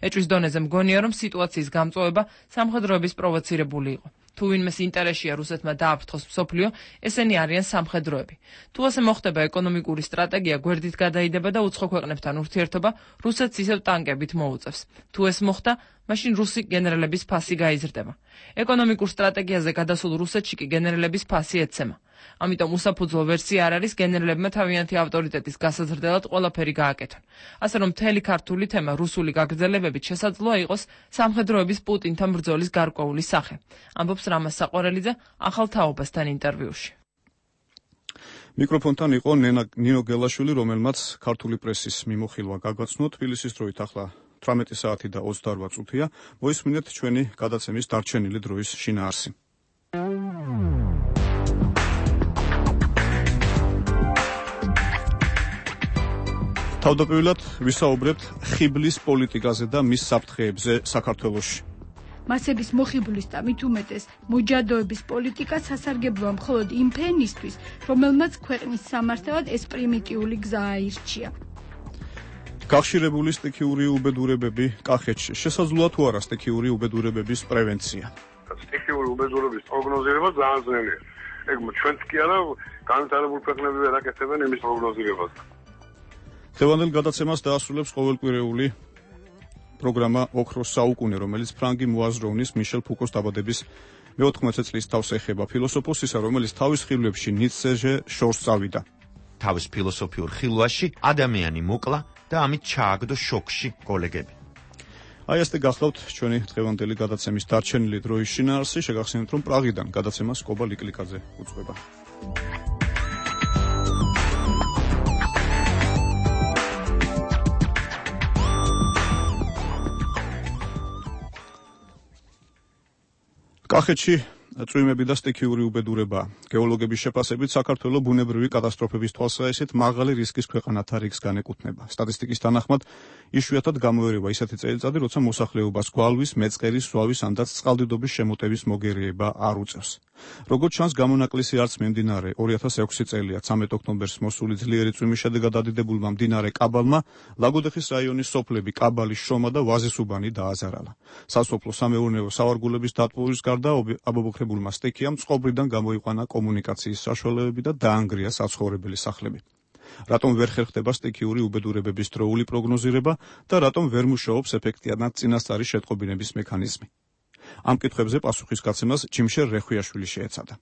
ეჭვის დონეზე მგონია, რომ სიტუაციის გამწვავება სამხედროების პროვოცირებული იყო. თუ ვინმეს ინტერესია რუსეთმა დააფრთხოს მსოფლიო, ესენი არიან სამხედროები. თუ ასე მოხდება, ეკონომიკური სტრატეგია გვერდით გადაიდება და უცხო ქვეყნებთან ურთიერთობა რუსეთს ისევ ტანკებით მოუწევს. თუ ეს მოხდა, მაშინ რუსი გენერლების ფასი გაიზრდება. ეკონომიკურ სტრატეგიაზე გადასულ რუსეთში კი გენერლების ფასი ეცემა. ამიტომ უსაფუძვლო ვერსია არ არის გენერლებმა თავიანთი ავტორიტეტის გასაზრდელად ყველაფერი გააკეთონ. ასე რომ მთელი ქართული თემა რუსული გაგრძელებებით შესაძლოა იყოს სამხედროების პუტინთან ბრძოლის გარკვეული სახე. ამბობს რამაზ საყვარელიძე ახალ თაობასთან ინტერვიუში. მიკროფონთან იყო ნინო გელაშვილი, რომელმაც ქართული პრესის მიმოხილვა გაგაცნო. თბილისის დროით ახლა 18 საათი და 28 წუთია. მოისმინეთ ჩვენი გადაცემის დარჩენილი დროის შინაარსი. თავდაპირველად ვისაუბრებთ ხიბლის პოლიტიკაზე და მის საფრთხეებზე საქართველოში. მასების მოხიბლის და მით უმეტეს მოჯადოების პოლიტიკა სასარგებლოა მხოლოდ იმ ფენისთვის, რომელმაც ქვეყნის სამართალად ეს პრიმიტიული გზა აირჩია. გახშირებული სტიქიური უბედურებები კახეთში. შესაძლოა თუ არა სტიქიური უბედურებების პრევენცია? სტიქიური უბედურების პროგნოზირება ძალიან ძნელია. ეგ ჩვენც კი არა, განვითარებულ ქვეყნები ვერ აკეთებენ იმის პროგნოზირებას. დღევანდელ გადაცემას დაასრულებს ყოველკვირეული პროგრამა ოქროს საუკუნე, რომელიც ფრანგი მოაზროვნის მიშელ ფუკოს დაბადების მე-14 წლის თავს ეხება, ფილოსოფოსისა, რომელიც თავის ხილვებში ნიცშეზე შორს წავიდა. თავის ფილოსოფიურ ხილვაში ადამიანი მოკლა და ამით ჩააგდო შოქში კოლეგები. აი ესე გახლავთ ჩვენი დღევანდელი გადაცემის დარჩენილი დროის შინაარსი. შეგახსენებთ, რომ პრაღიდან გადაცემას კობა ლიკლიკაძე უძღვება. კახეთში წვიმები და სტიქიური უბედურება. გეოლოგების შეფასებით საქართველო ბუნებრივი კატასტროფების თვალსაჩინით მაღალი რისკის ქვეყანათა რიგს განეკუთვნება. სტატისტიკის თანახმად იშვიათად გამოერევა ისეთი წელიწადი, როცა მოსახლეობას გვალვის, მეწყერის, სვავის ანდაც წყალდიდობის შემოტევის მოგერიება არ უწევს. როგორც ჩანს, გამონაკლისი არც მიმდინარე 2006 წელია 13 ოქტომბერს მოსული ძლიერი წვიმის შედეგად დადიდებულმა მდინარე კაბალმა ლაგოდეხის რაიონის სოფლები კაბალის, შრომა და ვაზისუბანი დააზარალა. სასოფლო სამეურნეო სავარგულების დატბობის გარდა აბობოქრებულმა სტიქიამ წყობრიდან გამოიყვანა კომუნიკაციის საშუალებები და დაანგრია საცხოვრებელი სახლები. რატომ ვერ ხერხდება სტიქიური უბედურებების დროული პროგნოზირება და რატომ ვერ მუშაობს ეფექტიანად წინასწარი შეტყობინების მექანიზმი? ამ კითხვებზე პასუხისგაცემას ჯიმშერ რეხვიაშვილი შეეცადა.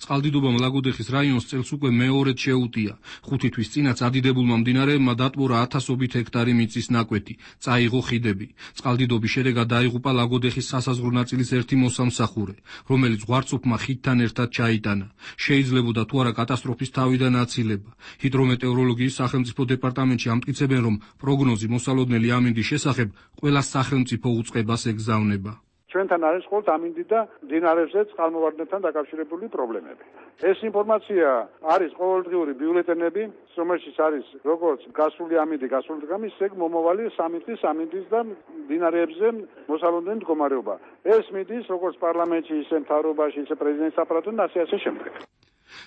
წყალდიდობამ ლაგოდეხის რაიონს წელს უკვე მეორედ შეუტია. 5 თვის წინაც ადიდებულმა მდინარეებმა დატბორა 1000-ობით ჰექტარი მიწის ნაკვეთი, წაიღო ხიდები. წყალდიდობის შედეგად დაიღუპა ლაგოდეხის სასაზღვრო ნაწილის ერთი მოსამსახურე, რომელიც ზღვარცოფმა ხიდთან ერთად ჩაიტანა. შეიძლებოდა თუ არა კატასტროფის თავიდან აცილება. ჰიდრომეტეოროლოგიის სახელმწიფო დეპარტამენტში ამტკიცებენ, რომ პროგნოზი მოსალოდნელი ამინდის შესახებ ყველა სახელმწიფო უწყებას ეგზავნება. ჩვენთან არის მხოლოდ ამინდი და მდინარეებზე წყალმოვარდნებთან დაკავშირებული პრობლემები. ეს ინფორმაცია არის ყოველდღიური ბიულეტენები, რომელშიც არის როგორც გასული ამინდი, გასული დღე, ისე მომავალი 3 თვის ამინდის და მდინარეებზე მოსალოდნელი მდგომარეობა. ეს მიდის როგორც პარლამენტში, ისე მთავრობაში, ისე პრეზიდენტის აპარატთან და ასე შემდეგ.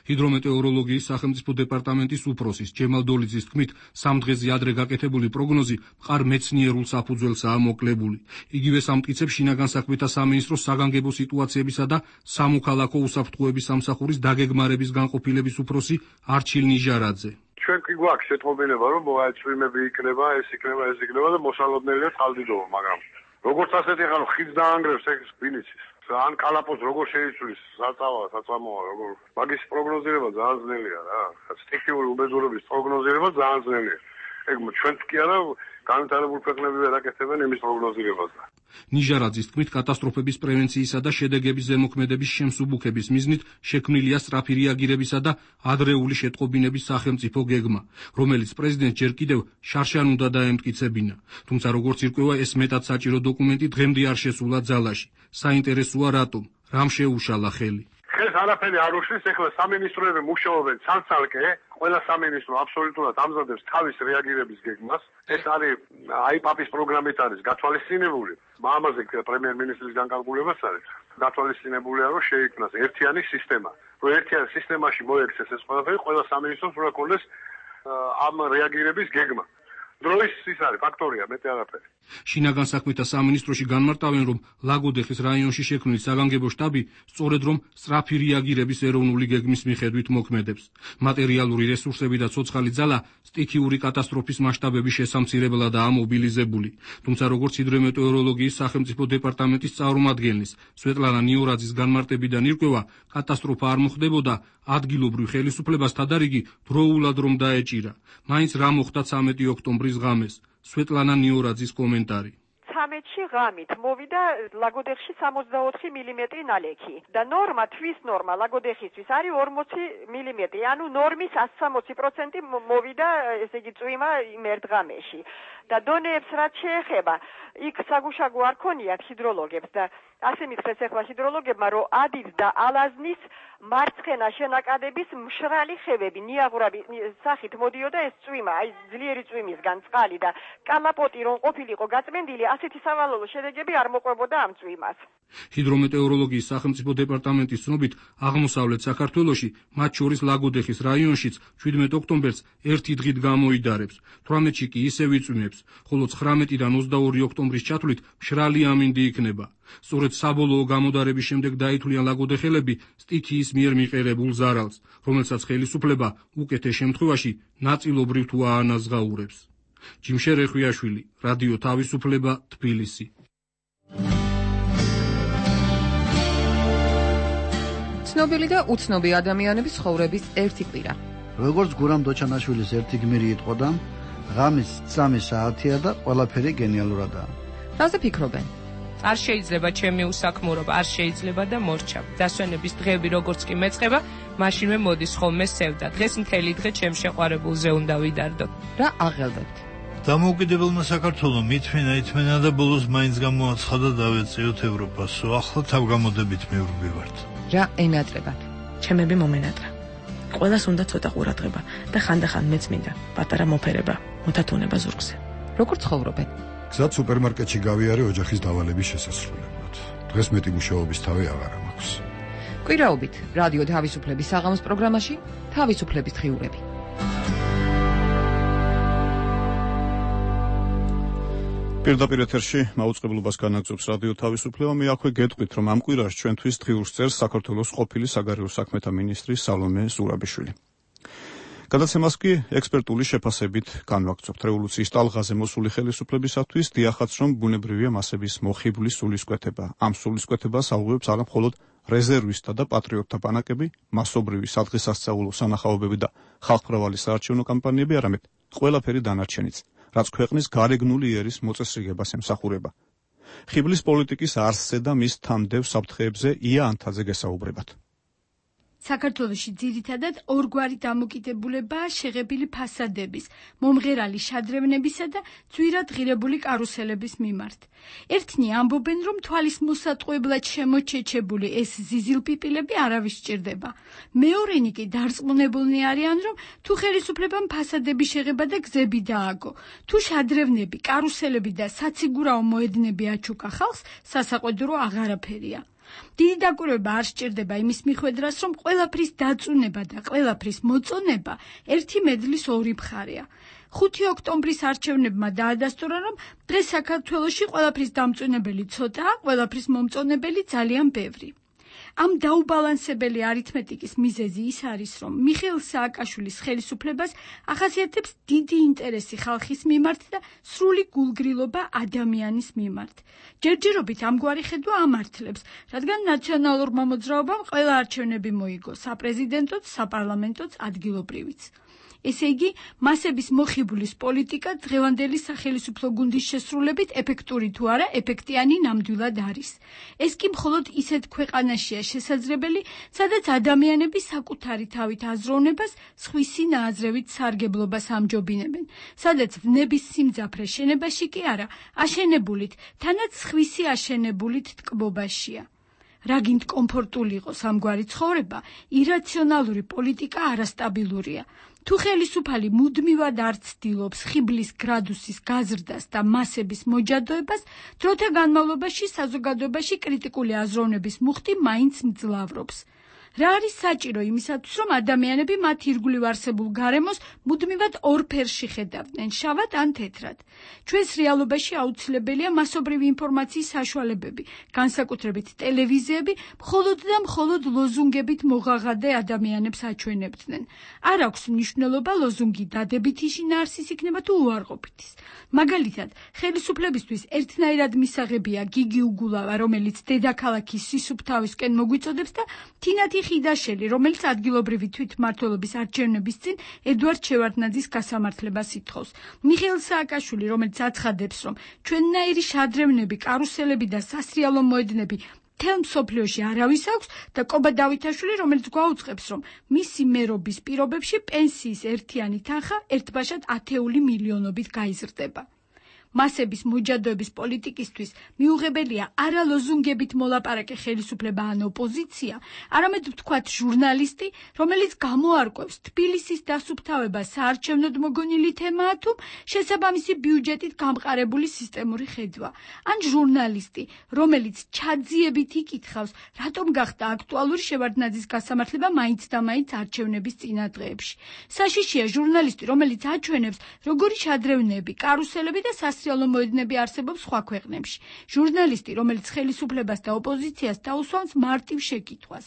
ჰიდრომეტეოროლოგიის სახელმწიფო დეპარტამენტის უფროსის ჯემალ დოლიძის თქმით, 3 დღეზე ადრე გაკეთებული პროგნოზი მყარ მეცნიერულ საფუძველსაა მოკლებული. იგივე ამტკიცებს შინაგან საქმეთა სამინისტროს საგანგებო სიტუაციებისა და სამოქალაქო უსაფრთხოების სამსახურის დაგეგმარების განყოფილების უფროსი არჩილ ნიჟარაძე. ჩვენ კი გვაქვს შეტყობინება, რომ წვიმები იქნება, ეს იქნება და მოსალოდნელია წყალდიდობა, მაგრამ როგორც ასეთი ახლა ხიდს დაანგრევს ეს ვინიცის. ან კალაპოს როგორ შეიცვლის საწამოა როგორ მაგის პროგნოზირება ძალიან ძნელია რა. სტიქიური უბედურების პროგნოზირება ძალიან ძნელია. ეგ ჩვენც კი არა განვითარებული ქვეყნები ვერ აკეთებენ იმის პროგნოზირებას. ნიჟარაძის თქმით, კატასტროფების პრევენციისა და შედეგების ზემოქმედების შემსუბუქების მიზნით შექმნილია სწრაფი რეაგირებისა და ადრეული შეტყობინების სახელმწიფო გეგმა, რომელიც პრეზიდენტ ჯერ კიდევ შარშან უნდა დაემტკიცებინა. თუმცა როგორც ირკვევა, ეს მეტად საჭირო დოკუმენტი დღემდე არ შესულა ძალაში. საინტერესოა რატომ? რამ შეუშალა ხელი? ეს არაფერი არ უშლის, ეხლა სამინისტროები მუშაობენ ცალ-ცალკე, ყველა სამინისტრო აბსოლუტურად ამზადებს თავის რეაგირების გეგმას. ეს არის აიპაპის პროგრამით არის გათვალისწინებული. ამაზე პრემიერ-მინისტრის განკარგულებას არის გათვალისწინებულია, რომ შეიქმნას ერთიანი სისტემა. რომ ერთიან სისტემაში მოექცეს ეს ყველაფერი, ყველა სამინისტროს უნდა ქონდეს ამ რეაგირების გეგმა. დროის ის არის ფაქტორია, მეტი არაფერი. შინაგან საქმეთა სამინისტროში განმარტავენ, რომ ლაგოდეხის რაიონში შექმნილი საგანგებო შტაბი სწორედ რომ სწრაფი რეაგირების ეროვნული გეგმის მიხედვით მოქმედებს. მატერიალური რესურსები და ცოცხალი ძალა სტიქიური კატასტროფის მასშტაბების შესამცირებლადაა მობილიზებული. თუმცა როგორც ჰიდრომეტეოროლოგიის სახელმწიფო დეპარტამენტის წარმომადგენლის სვეტლანა ნიორაძის განმარტებიდან ირკვევა, კატასტროფა არ მოხდებოდა ადგილობრივ ხელისუფლებას თადარიგი დროულად რომ დაეჭირა. მაინც რა მოხდა 13 ოქტომბრის ღამეს? სვეტლანა ნიორაძის კომენტარი. 13-ში ღამით მოვიდა ლაგოდეხში 64 მმ ნალექი და ნორმა, თვის ნორმა ლაგოდეხისთვის არის 40 მმ, ანუ ნორმის 160% მოვიდა, ესე იგი წვიმა იმ ერთ ღამეში. და დონეებს რაც შეეხება, იქ საგუშაგო არ ქონიათ ჰიდროლოგებს და ასე მითხრეს ახლა ჰიდროლოგებმა, რომ ადის და ალაზნის მარცხენა შენაკადების მშრალი ხევები, ნიაღურები სახით მოდიოდა ეს წვიმა, აი ძლიერი წვიმისგან წყალი და კალაპოტი რომ ყოფილიყო გაწმენდილი, ასეთი სავალალო შედეგები არ მოყვებოდა ამ წვიმას. ჰიდრომეტეოროლოგიის სახელმწიფო დეპარტამენტის ცნობით, აღმოსავლეთ საქართველოში, მათ შორის ლაგოდეხის რაიონშიც 17 ოქტომბერს ერთი დღით გამოიდარებს, 18-ში კი ისევ იწვიმებს, ხოლო 19-დან 22 ოქტომბრის ჩათვლით მშრალი ამინდი იქნება. სწორედ საბოლოო გამოდარების შემდეგ დაითვლიან ლაგოდეხელები სტიქიის მიერ მიყერებულ ზარალს, რომელსაც ხელისუფლება უკეთეს შემთხვევაში ნაწილობრივ თუ აანაზღაურებს. ჯიმშერ რეხვიაშვილი, რადიო თავისუფლება, თბილისი. ცნობილი და უცნობი ადამიანების ცხოვრების ერთი კვირა. როგორც გურამ დოჩანაშვილის ერთი გმირი იტყოდა, ღამის 3 საათია და ყველაფერი გენიალურადაა. რაზე ფიქრობენ? არ შეიძლება ჩემი უსაქმურობა, არ შეიძლება და მორჩა. დასვენების დღეები როგორც კი მეწყება, მაშინვე მოდის ხოლმე სევდა. დღეს მთელი დღე ჩემ შეყვარებულზე უნდა ვიდარდო. რა აღელვებთ? დამოუკიდებელმა საქართველომ ითმენა და ბოლოს მაინც გამოაცხადა დავეწიოთ ევროპასო. ახლა თავგამოდებით მივრბივართ. რა ენატრებათ? ჩემები მომენატრა. ყველას უნდა ცოტა ყურადღება და ხანდახან მეც მინდა პატარა მოფერება, მოთათუნება ზურგზე. როგორ ცხოვრობენ? გზად სუპერმარკეტში გავიარე ოჯახის დავალების შესასრულებლად. დღეს მეტი მუშაობის თავი აღარ მაქვს. კვირაობით რადიო თავისუფლების საღამოს პროგრამაში თავისუფლების დღიურები. პირდაპირ ეთერში მაუწყებლობას განაგრძობს რადიო თავისუფლება. მე აქვე გეტყვით, რომ ამ კვირაში ჩვენთვის დღიურს წერს საქართველოს ყოფილი საგარეო საქმეთა მინისტრი სალომე ზურაბიშვილი. გადაცემას კი ექსპერტული შეფასებით განვაგრძობთ. რევოლუციის ტალღაზე მოსული ხელისუფლებისათვის დიახაც, რომ ბუნებრივია მასების მოხიბლის სულისკვეთება. ამ სულისკვეთებას აუღებს არა მხოლოდ რეზერვისტთა და პატრიოტთა ბანაკები, მასობრივი სადღესასწაულო სანახაობები და ხალხმრავალი საარჩევნო კამპანიები, არამედ ყველაფერი დანარჩენიც, რაც ქვეყნის გარეგნული იერის მოწესრიგებას ემსახურება. ხიბლის პოლიტიკის არსზე და მის თამდევ საფრთხეებზე ია ანთაძე გესაუბრებათ. საქართველოში ძირითადად ორგვარი დამოკიდებულებაა შეღებილი ფასადების, მომღერალი შადრევნებისა და ძვირად ღირებული კარუსელების მიმართ. ერთნი ამბობენ, რომ თვალის მოსატყუებლად შემოჩეჩებული ეს ზიზილპიპილები არავის სჭირდება. მეორენი კი დარწმუნებულნი არიან, რომ თუ ხელისუფლებამ ფასადების შეღება და გზები დააგო, თუ შადრევნები, კარუსელები და საციგურაო მოედნები აჩუქა ხალხს, სასაყვედურო აღარაფერია. დიდი დაკვირვება არ სჭირდება იმის მიხვედრას, რომ ყველაფრის დაწუნება და ყველაფრის მოწონება ერთი მედლის ორი მხარეა. 5 ოქტომბრის არჩევნებმა დაადასტურა, რომ დღეს საქართველოში ყველაფრის დამწუნებელი ცოტაა, ყველაფრის მომწონებელი ძალიან ბევრი. ამ დაუბალანსებელი არითმეტიკის მიზეზი ის არის, რომ მიხეილ სააკაშვილის ხელისუფლებას ახასიათებს დიდი ინტერესი ხალხის მიმართ და სრული გულგრილობა ადამიანის მიმართ. ჯერჯერობით ამგვარი ხედვა ამართლებს, რადგან ნაციონალურმა მოძრაობამ ყველა არჩევნები მოიგო, საპრეზიდენტოც, საპარლამენტოც, ადგილობრივიც. ესე იგი, მასების მოხიბლის პოლიტიკა დღევანდელი სახელისუფლო გუნდის შესრულებით ეფექტური თუ არა, ეფექტიანი ნამდვილად არის. ეს კი მხოლოდ ისეთ ქვეყანაშია შესაძლებელი, სადაც ადამიანები საკუთარი თავით აზროვნებას, სხვისი ნააზრევით სარგებლობას ამჯობინებენ, სადაც ვნების სიმძაფრე შენებაში კი არა, აშენებულით, თანაც სხვისი აშენებულით ტკბობაშია. რა გინდ კომფორტული იყოს ამგვარი ცხოვრება, ირაციონალური პოლიტიკა არასტაბილურია. თუ ხელისუფალი მუდმივად არ ცდილობს ხიბლის გრადუსის გაზრდას და მასების მოჯადოებას, დროთა განმავლობაში საზოგადოებაში კრიტიკული აზროვნების მუხტი მაინც მძლავრობს. რა არის საჭირო იმისათვის, რომ ადამიანები მათ ირგვლივ არსებულ გარემოს მუდმივად ორ ფერში ხედავდნენ, შავად ან თეთრად. ჩვენს რეალობაში აუცილებელია მასობრივი ინფორმაციის საშუალებები, განსაკუთრებით ტელევიზიები, მხოლოდ და მხოლოდ ლოზუნგებით მოღაღადე ადამიანებს აჩვენებდნენ. არ აქვს მნიშვნელობა ლოზუნგი დადებითი შინაარსის იქნება თუ უარყოფითის. მაგალითად, ხელისუფლებისთვის ერთნაირად მისაღებია გიგი უგულავა, რომელიც დედაქალაქის სისუფთავისკენ მოგვიწოდებს და თინათი ხიდაშელი, რომელიც ადგილობრივი თვითმმართველობის არჩევნების წინ ედვარდ შევარდნაძის გასამართლებას ითხოვს. მიხეილ სააკაშვილი, რომელიც აცხადებს, რომ ჩვენნაირი შადრევნები, კარუსელები და სასრიალო მოედნები მთელ მსოფლიოში არავის აქვს და კობა დავითაშვილი, რომელიც გვაუწყებს, რომ მისი მერობის პირობებში პენსიის ერთიანი თანხა ერთბაშად 10 მილიონობით გაიზრდება. მასების მოჯადოების პოლიტიკისთვის მიუღებელია არა ლოზუნგებით მოლაპარაკე ხელისუფლება ან ოპოზიცია, არამედ ვთქვათ ჟურნალისტი, რომელიც გამოარკვევს თბილისის დასუფთავება საარჩევნოდ მოგონილი თემაა თუ შესაბამისი ბიუჯეტით გამყარებული სისტემური ხედვა, ან ჟურნალისტი, რომელიც ჩაძიებით იკითხავს, რატომ გახდა აქტუალური შევარდნაძის გასამართლება მაინც და მაინც არჩევნების წინა დღეებში. საშიშია ჟურნალისტი, რომელიც აჩვენებს, როგორი შადრევნები, კარუსელები და სასრიალო მოედნები არსებობს სხვა ქვეყნებში. ჟურნალისტი, რომელიც ხელისუფლებას და ოპოზიციას დაუსვამს მარტივ შეკითხვას,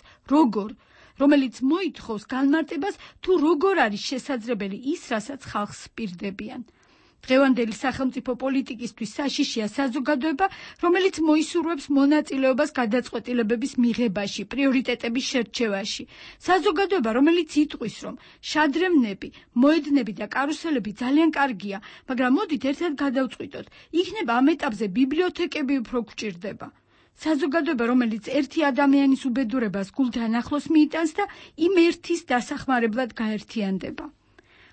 რომელიც მოითხოვს განმარტებას, თუ როგორ არის შესაძლებელი ის, რასაც ხალხს პირდებიან. დღევანდელი სახელმწიფო პოლიტიკისთვის საშიშია საზოგადოება, რომელიც მოისურვებს მონაწილეობას გადაწყვეტილებების მიღებაში, პრიორიტეტების შერჩევაში. საზოგადოება, რომელიც იტყვის, რომ შადრევნები, მოედნები და კარუსელები ძალიან კარგია, მაგრამ მოდით ერთად გადავწყვიტოთ, იქნება ამ ეტაპზე ბიბლიოთეკები უფრო გვჭირდება. საზოგადოება, რომელიც ერთი ადამიანის უბედურებას გულთან ახლოს მიიტანს და იმ ერთის დასახმარებლად გაერთიანდება.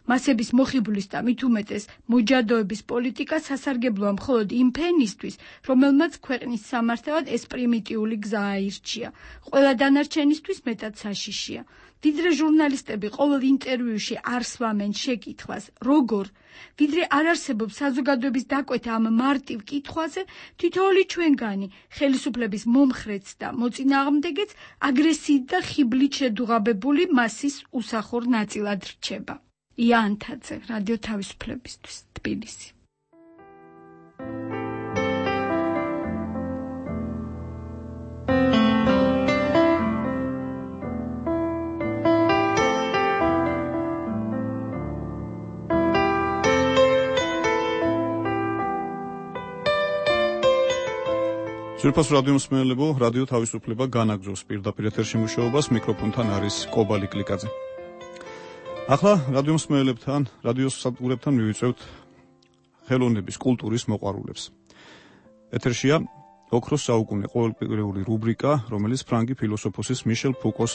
მასების მოხიბლის და მით უმეტეს მოჯადოების პოლიტიკა სასარგებლოა მხოლოდ იმ ფენისთვის, რომელმაც ქვეყნის სამართავად ეს პრიმიტიული გზა აირჩია. ყველა დანარჩენისთვის მეტად საშიშია. ვიდრე ჟურნალისტები ყოველ ინტერვიუში არ სვამენ შეკითხვას, როგორ, ვიდრე არ არსებობს საზოგადოების დაკვეთა ამ მარტივ კითხვაზე, თითოეული ჩვენგანი, ხელისუფლების მომხრეც და მოწინააღმდეგეც აგრესიით და ხიბლით შედუღაბებული მასის უსახურ ნაწილად რჩება. ია ანთაძე, რადიო თავისუფლებისთვის, თბილისი. ძვირფას რადიო მსმენელებო, რადიო თავისუფლება განაგრძობს პირდაპირ ეთერში მუშაობას, მიკროფონთან არის კობალი კლიკაძე. ახლა რადიო მსმენელებთან, რადიოს სადგურებთან მივიწევთ ხელოვნების, კულტურის მოყვარულებს. ეთერშია ოქროს საუკუნე ყოველკვირეული რუბრიკა, რომელიც ფრანგი ფილოსოფოსის მიშელ ფუკოს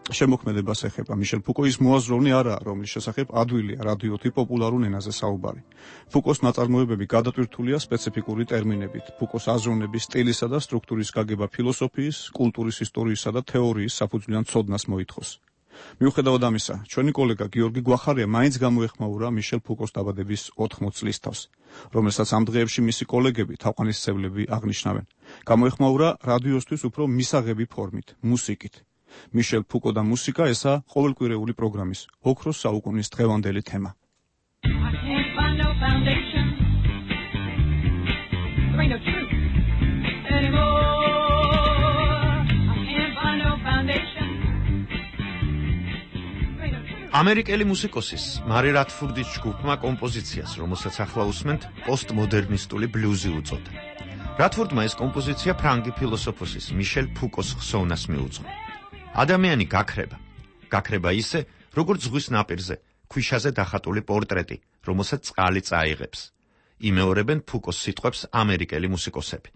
შემოქმედებას ეხება. მიშელ ფუკო ის მოაზროვნე არაა, რომლის შესახებ ადვილია რადიოთი პოპულარულ ენაზე საუბარი. ფუკოს ნაწარმოებები გადატვირთულია სპეციფიკური ტერმინებით. ფუკოს აზროვნების სტილისა და სტრუქტურის გაგება ფილოსოფიის, კულტურის ისტორიისა და თეორიის საფუძვლიან ცოდნას მოითხოვს. მიუხედავად ამისა, ჩვენი კოლეგა გიორგი გვახარია მაინც გამოეხმაურა მიშელ ფუკოს დაბადების 80 წლის თავს, რომელსაც ამ დღეებში მისი კოლეგები, თაყვანისმცემლები აღნიშნავენ. გამოეხმაურა რადიოსთვის უფრო მისაღები ფორმით, მუსიკით. მიშელ ფუკო და მუსიკა ესა ყოველკვირეული პროგრამის ოქროს საუკუნის დღევანდელი თემა. ამერიკელი მუსიკოსის მარი რათფურდის ჯგუფმა კომპოზიციას, რომელსაც ახლა უსმენთ, პოსტმოდერნისტული ბლუზი უწოდა. რათფურდმა ეს კომპოზიცია ფრანგი ფილოსოფოსის მიშელ ფუკოს ხსოვნას მიუძღვა. ადამიანი გაქრება ისე, როგორც ზღვის ნაპირზე, ქვიშაზე დახატული პორტრეტი, რომელსაც წყალი წაიღებს. იმეორებენ ფუკოს სიტყვებს ამერიკელი მუსიკოსები.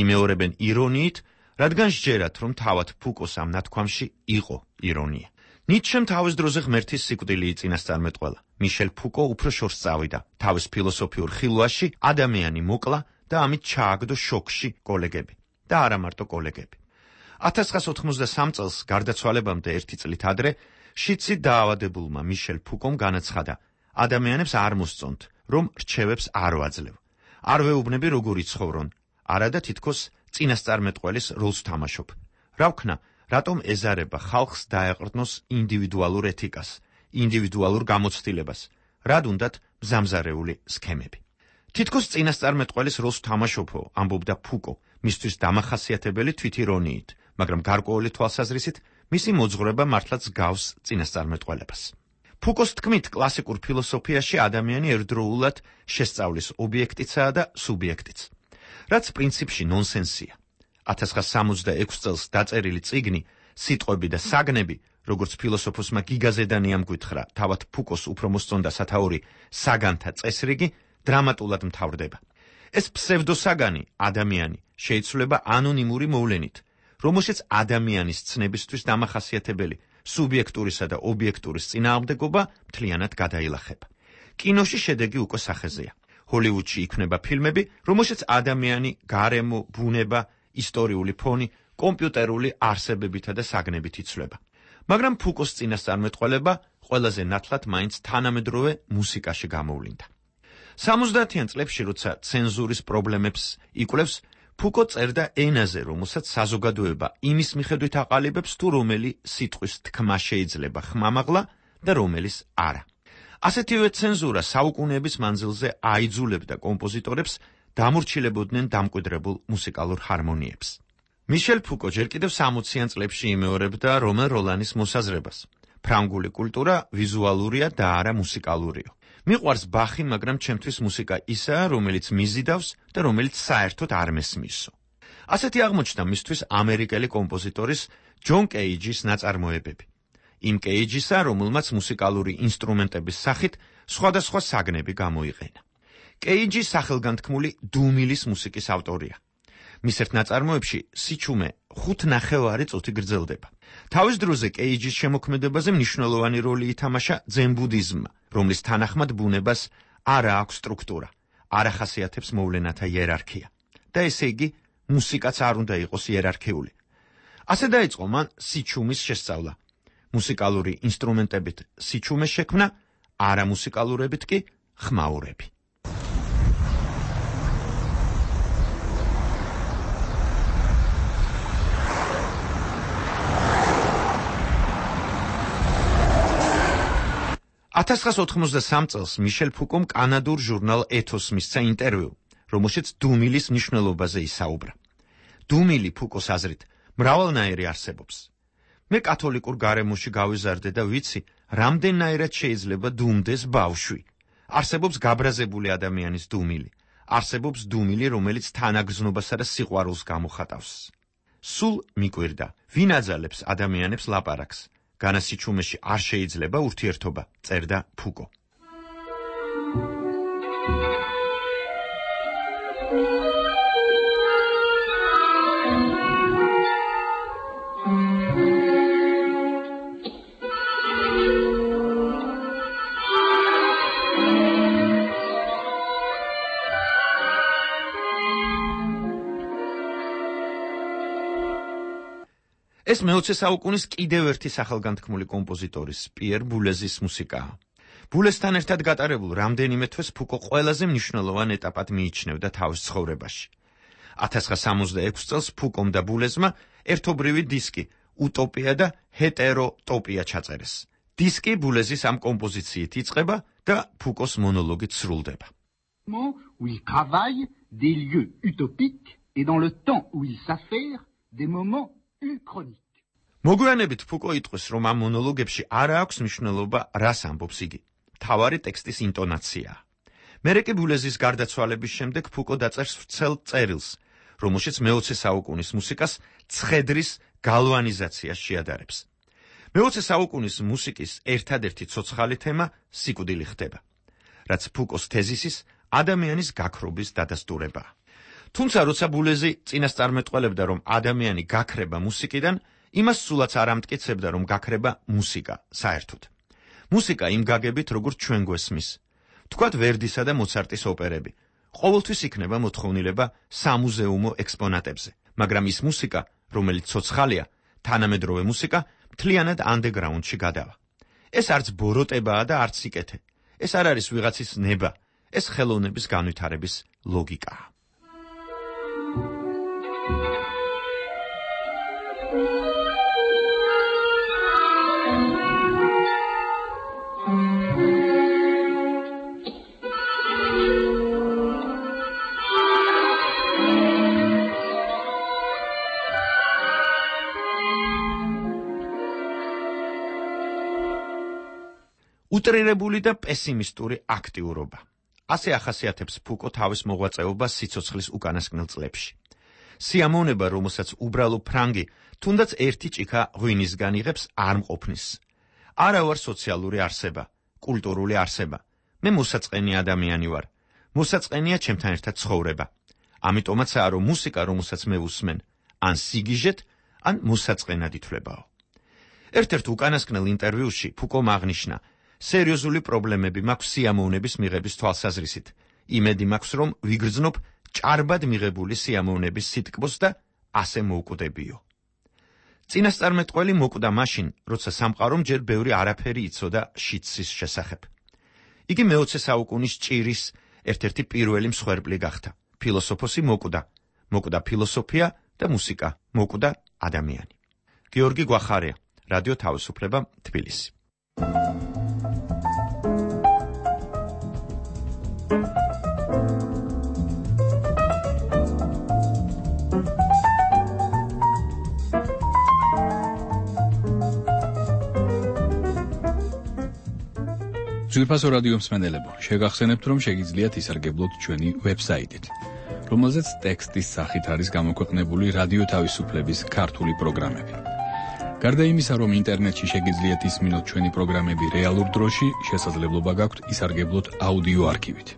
იმეორებენ ირონიით, რადგან სჯერათ, რომ თავად ფუკოს ამ ნათქვამში იყო ირონია. ნიცშემ თავის დროზე ღმერთის სიკვდილი იწინასწარმეტყველა. მიშელ ფუკო უფრო შორს წავიდა. თავის ფილოსოფიურ ხილვაში ადამიანი მოკლა და ამით ჩააგდო შოკში კოლეგები. და არა მარტო კოლეგები. 1983 წელს გარდაცვალებამდე 1 წლით ადრე შიცი დაავადებულმა მიშელ ფუკომ განაცხადა: ადამიანებს არ მოსწონთ, რომ რჩევებს არ ვაძლევ. არ ვეუბნები როგორ იცხოვრონ, არადა თითქოს წინასწარმეტყველის როლს თამაშობ. რა ვქნა, რატომ ეზარება ხალხს დაეყრდნოს ინდივიდუალურ ეთიკას, ინდივიდუალურ გამოცდილებას, რად უნდათ მზამზარეული სქემები. თითქოს წინასწარმეტყველის როლს თამაშობო, ამბობდა ფუკო, მისთვის დამახასიათებელი თვითირონიით, მაგრამ გარკვეული თვალსაზრისით მისი მოძღვრება მართლაც გავს წინასწარმეტყველებას. ფუკოს თქმით, კლასიკურ ფილოსოფიაში ადამიანი ერთდროულად შესწავლის ობიექტიცაა და სუბიექტიც, რაც პრინციპში ნონსენსია. 1966 წელს დაწერილი წიგნი სიტყვები და საგნები, როგორც ფილოსოფოსმა გიგაზედანი ამგვითხრა, თავად ფუკოს უფრო მოსწონდა სათაური საგანთა წესრიგი, დრამატულად მთავრდება. ეს ფსევდოსაგანი, ადამიანი, შეიცვლება ანონიმური მოვლენით, რომელშიც ადამიანის ცნებისთვის დამახასიათებელი სუბიექტურისა და ობიექტურის წინააღმდეგობა მთლიანად გადაილახება. კინოში შედეგი უკვე სახეზეა. ჰოლივუდში იქმნება ფილმები, რომელშიც ადამიანი, გარემო, ბუნება, ისტორიული ფონი, კომპიუტერული არსებებითა და საგნებით იცვლება. მაგრამ ფუკოს წინასწარმეტყველება ყველაზე ნათლად მაინც თანამედროვე მუსიკაში გამოვლინდა. 70-იან წლებში, როცა ცენზურის პრობლემებს იკვლევს, ფუკო წერდა ენაზე, რომელსაც საზოგადოება იმის მიხედვით აყალიბებს, თუ რომელი სიტყვის თქმა შეიძლება ხმამაღლა და რომელის არა. ასეთივე ცენზურა საუკუნეების მანძილზე აიძულებდა კომპოზიტორებს დამორჩილებოდნენ დამკვიდრებულ მუსიკალურ ჰარმონიებს. მიშელ ფუკო ჯერ კიდევ 60-იან წლებში იმეორებდა რომელ როლანის მოსაზრებას. ფრანგული კულტურა ვიზუალურია და არა მუსიკალურიო. მიყვარს ბახი, მაგრამ ჩემთვის მუსიკა ისაა, რომელიც მიზიდავს და რომელიც საერთოდ არ მესმისო. ასეთი აღმოჩნდა მისთვის ამერიკელი კომპოზიტორის ჯონ კეიჯის ნაწარმოებები. იმ კეიჯისა, რომელმაც მუსიკალური ინსტრუმენტების სახით სხვადასხვა საგნები გამოიყენა. კეიჯი სახელგანთქმული დუმილის მუსიკის ავტორია. მის ერთ ნაწარმოებში სიჩუმე 5.5 წუთი გრძელდება. თავის დროზე კეიჯის შემოქმედებაზე მნიშვნელოვანი როლი ითამაშა ძენ ბუდიზმმა, რომლის თანახმად ბუნებას არ აქვს სტრუქტურა, არ ახასიათებს მოვლენათა იერარქია. და ესე იგი, მუსიკაც არ უნდა იყოს იერარქიული. ასე დაიწყო მან სიჩუმის შესწავლა. მუსიკალური ინსტრუმენტებით სიჩუმეს შექმნა, არამუსიკალურებით კი ხმაურები. წელს მიშელ ფუკომ კანადურ ჟურნალ ეთოსს მისცა ინტერვიუ, რომელშიც დუმილის მნიშვნელობაზე ისაუბრა. დუმილი ფუკოს აზრით მრავალნაირი არსებობს. მე კათოლიკურ გარემოში გავიზარდე და ვიცი, რამდენნაირად შეიძლება დუმდეს ბავშვი. არსებობს გაბრაზებული ადამიანის დუმილი. არსებობს დუმილი, რომელიც თანაგრძნობასა და სიყვარულს გამოხატავს. სულ მიკვირდა, ვინ აძალებს ადამიანებს ლაპარაკს. განასიჩუმეში არ შეიძლება ურთიერთობა, წერდა ფუკო. ეს მე-20 საუკუნის კიდევ ერთი სახელგანთქმული კომპოზიტორის პიერ ბულეზის მუსიკაა. ბულესთან ერთად გატარებულ რამდენიმე თვეს ფუკო ყველაზე მნიშვნელოვან ეტაპად მიიჩნევდა თავის ცხოვრებაში. 1966 წელს ფუკომ და ბულეზმა ერთობრივი დისკი უტოპია და ჰეტეროტოპია ჩაწერეს. დისკი ბულეზის ამ კომპოზიციით იწყება და ფუკოს მონოლოგით სრულდება. Où il travaille des lieux utopiques et dans le temps où il s'affaire des moments მოგვიანებით ფუკო იტყვის, რომ ამ მონოლოგებში არ აქვს მნიშვნელობა, რას ამბობს იგი. მთავარი ტექსტის ინტონაციაა. მერე კი ბულეზის გარდაცვალების შემდეგ ფუკო დაწერს ვრცელ წერილს, რომელშიც მე-20 საუკუნის მუსიკას ცხედრის გალვანიზაციას შეადარებს. მე-20 საუკუნის მუსიკის ერთადერთი ცოცხალი თემა სიკვდილი ხდება, რაც ფუკოს თეზისის ადამიანის გაქრობის დადასტურებაა. თუმცა როცა ბულეზი წინასწარმეტყველებდა, რომ ადამიანი გაქრება მუსიკიდან, იმას სულაც არ ამტკიცებდა, რომ გაქრება მუსიკა საერთოდ. მუსიკა იმ გაგებით, როგორც ჩვენ გვესმის. თქვათ ვერდისა და მოცარტის ოპერები. ყოველთვის იქნება მოთხოვნილება სამუზეუმო ექსპონატებზე, მაგრამ ის მუსიკა, რომელიც ცოცხალია, თანამედროვე მუსიკა, მთლიანად ანდეგრაუნდში გადავა. ეს არც ბოროტებაა და არც სიკეთე. ეს არ არის ვიღაცის ნება, ეს ხელოვნების განვითარების ლოგიკაა. უტრირებული და პესიმისტური აქტიურობა. ასე ახასიათებს ფუკო თავის მოღვაწეობას სიცოცხლის უკანასკნელ წლებში. სიამოვნება, რომელსაც უბრალო ფრანგი თუნდაც ერთი ჭიქა ღვინისგან იღებს, არ მყოფნის. არა ვარ სოციალური არსება, კულტურული არსება. მე მოსაწყენი ადამიანი ვარ. მოსაწყენია ჩემთან ერთად ცხოვრება. ამიტომაცაა, რომ მუსიკა, რომელსაც მე ვუსმენ, ან სიგიჟეთ, ან მოსაწყენად ითვლებაო. ერთ-ერთ უკანასკნელ ინტერვიუში ფუკომ აღნიშნა, სერიოზული პრობლემები მაქვს სიამოვნების მიღების თვალსაზრისით. იმედი მაქვს, რომ ვიგრძნობ ჭარბად მიღებული სიამოვნების სიტკბოს და ასე მოვკვდებიო. წინასწარმეტყველი მოკვდა მაშინ, როცა სამყარომ ჯერ ბევრი არაფერი იცოდა შიდსის შესახებ. იგი მე-20 საუკუნის ჭირის ერთ-ერთი პირველი მსხვერპლი გახდა. ფილოსოფოსი მოკვდა ფილოსოფია და მუსიკა, მოკვდა ადამიანი. გიორგი გვახარია, რადიო თავისუფლება, თბილისი. ძვირფასო რადიო მსმენელებო, შეგახსენებთ, რომ შეგიძლიათ ისარგებლოთ ჩვენი ვებსაიტით, რომელზეც ტექსტის სახით არის გამოქვეყნებული რადიო თავისუფლების ქართული პროგრამები. გარდა იმისა, რომ ინტერნეტში შეგიძლიათ ისმინოთ ჩვენი პროგრამები რეალურ დროში, შესაძლებლობა გაქვთ ისარგებლოთ აუდიო არქივით.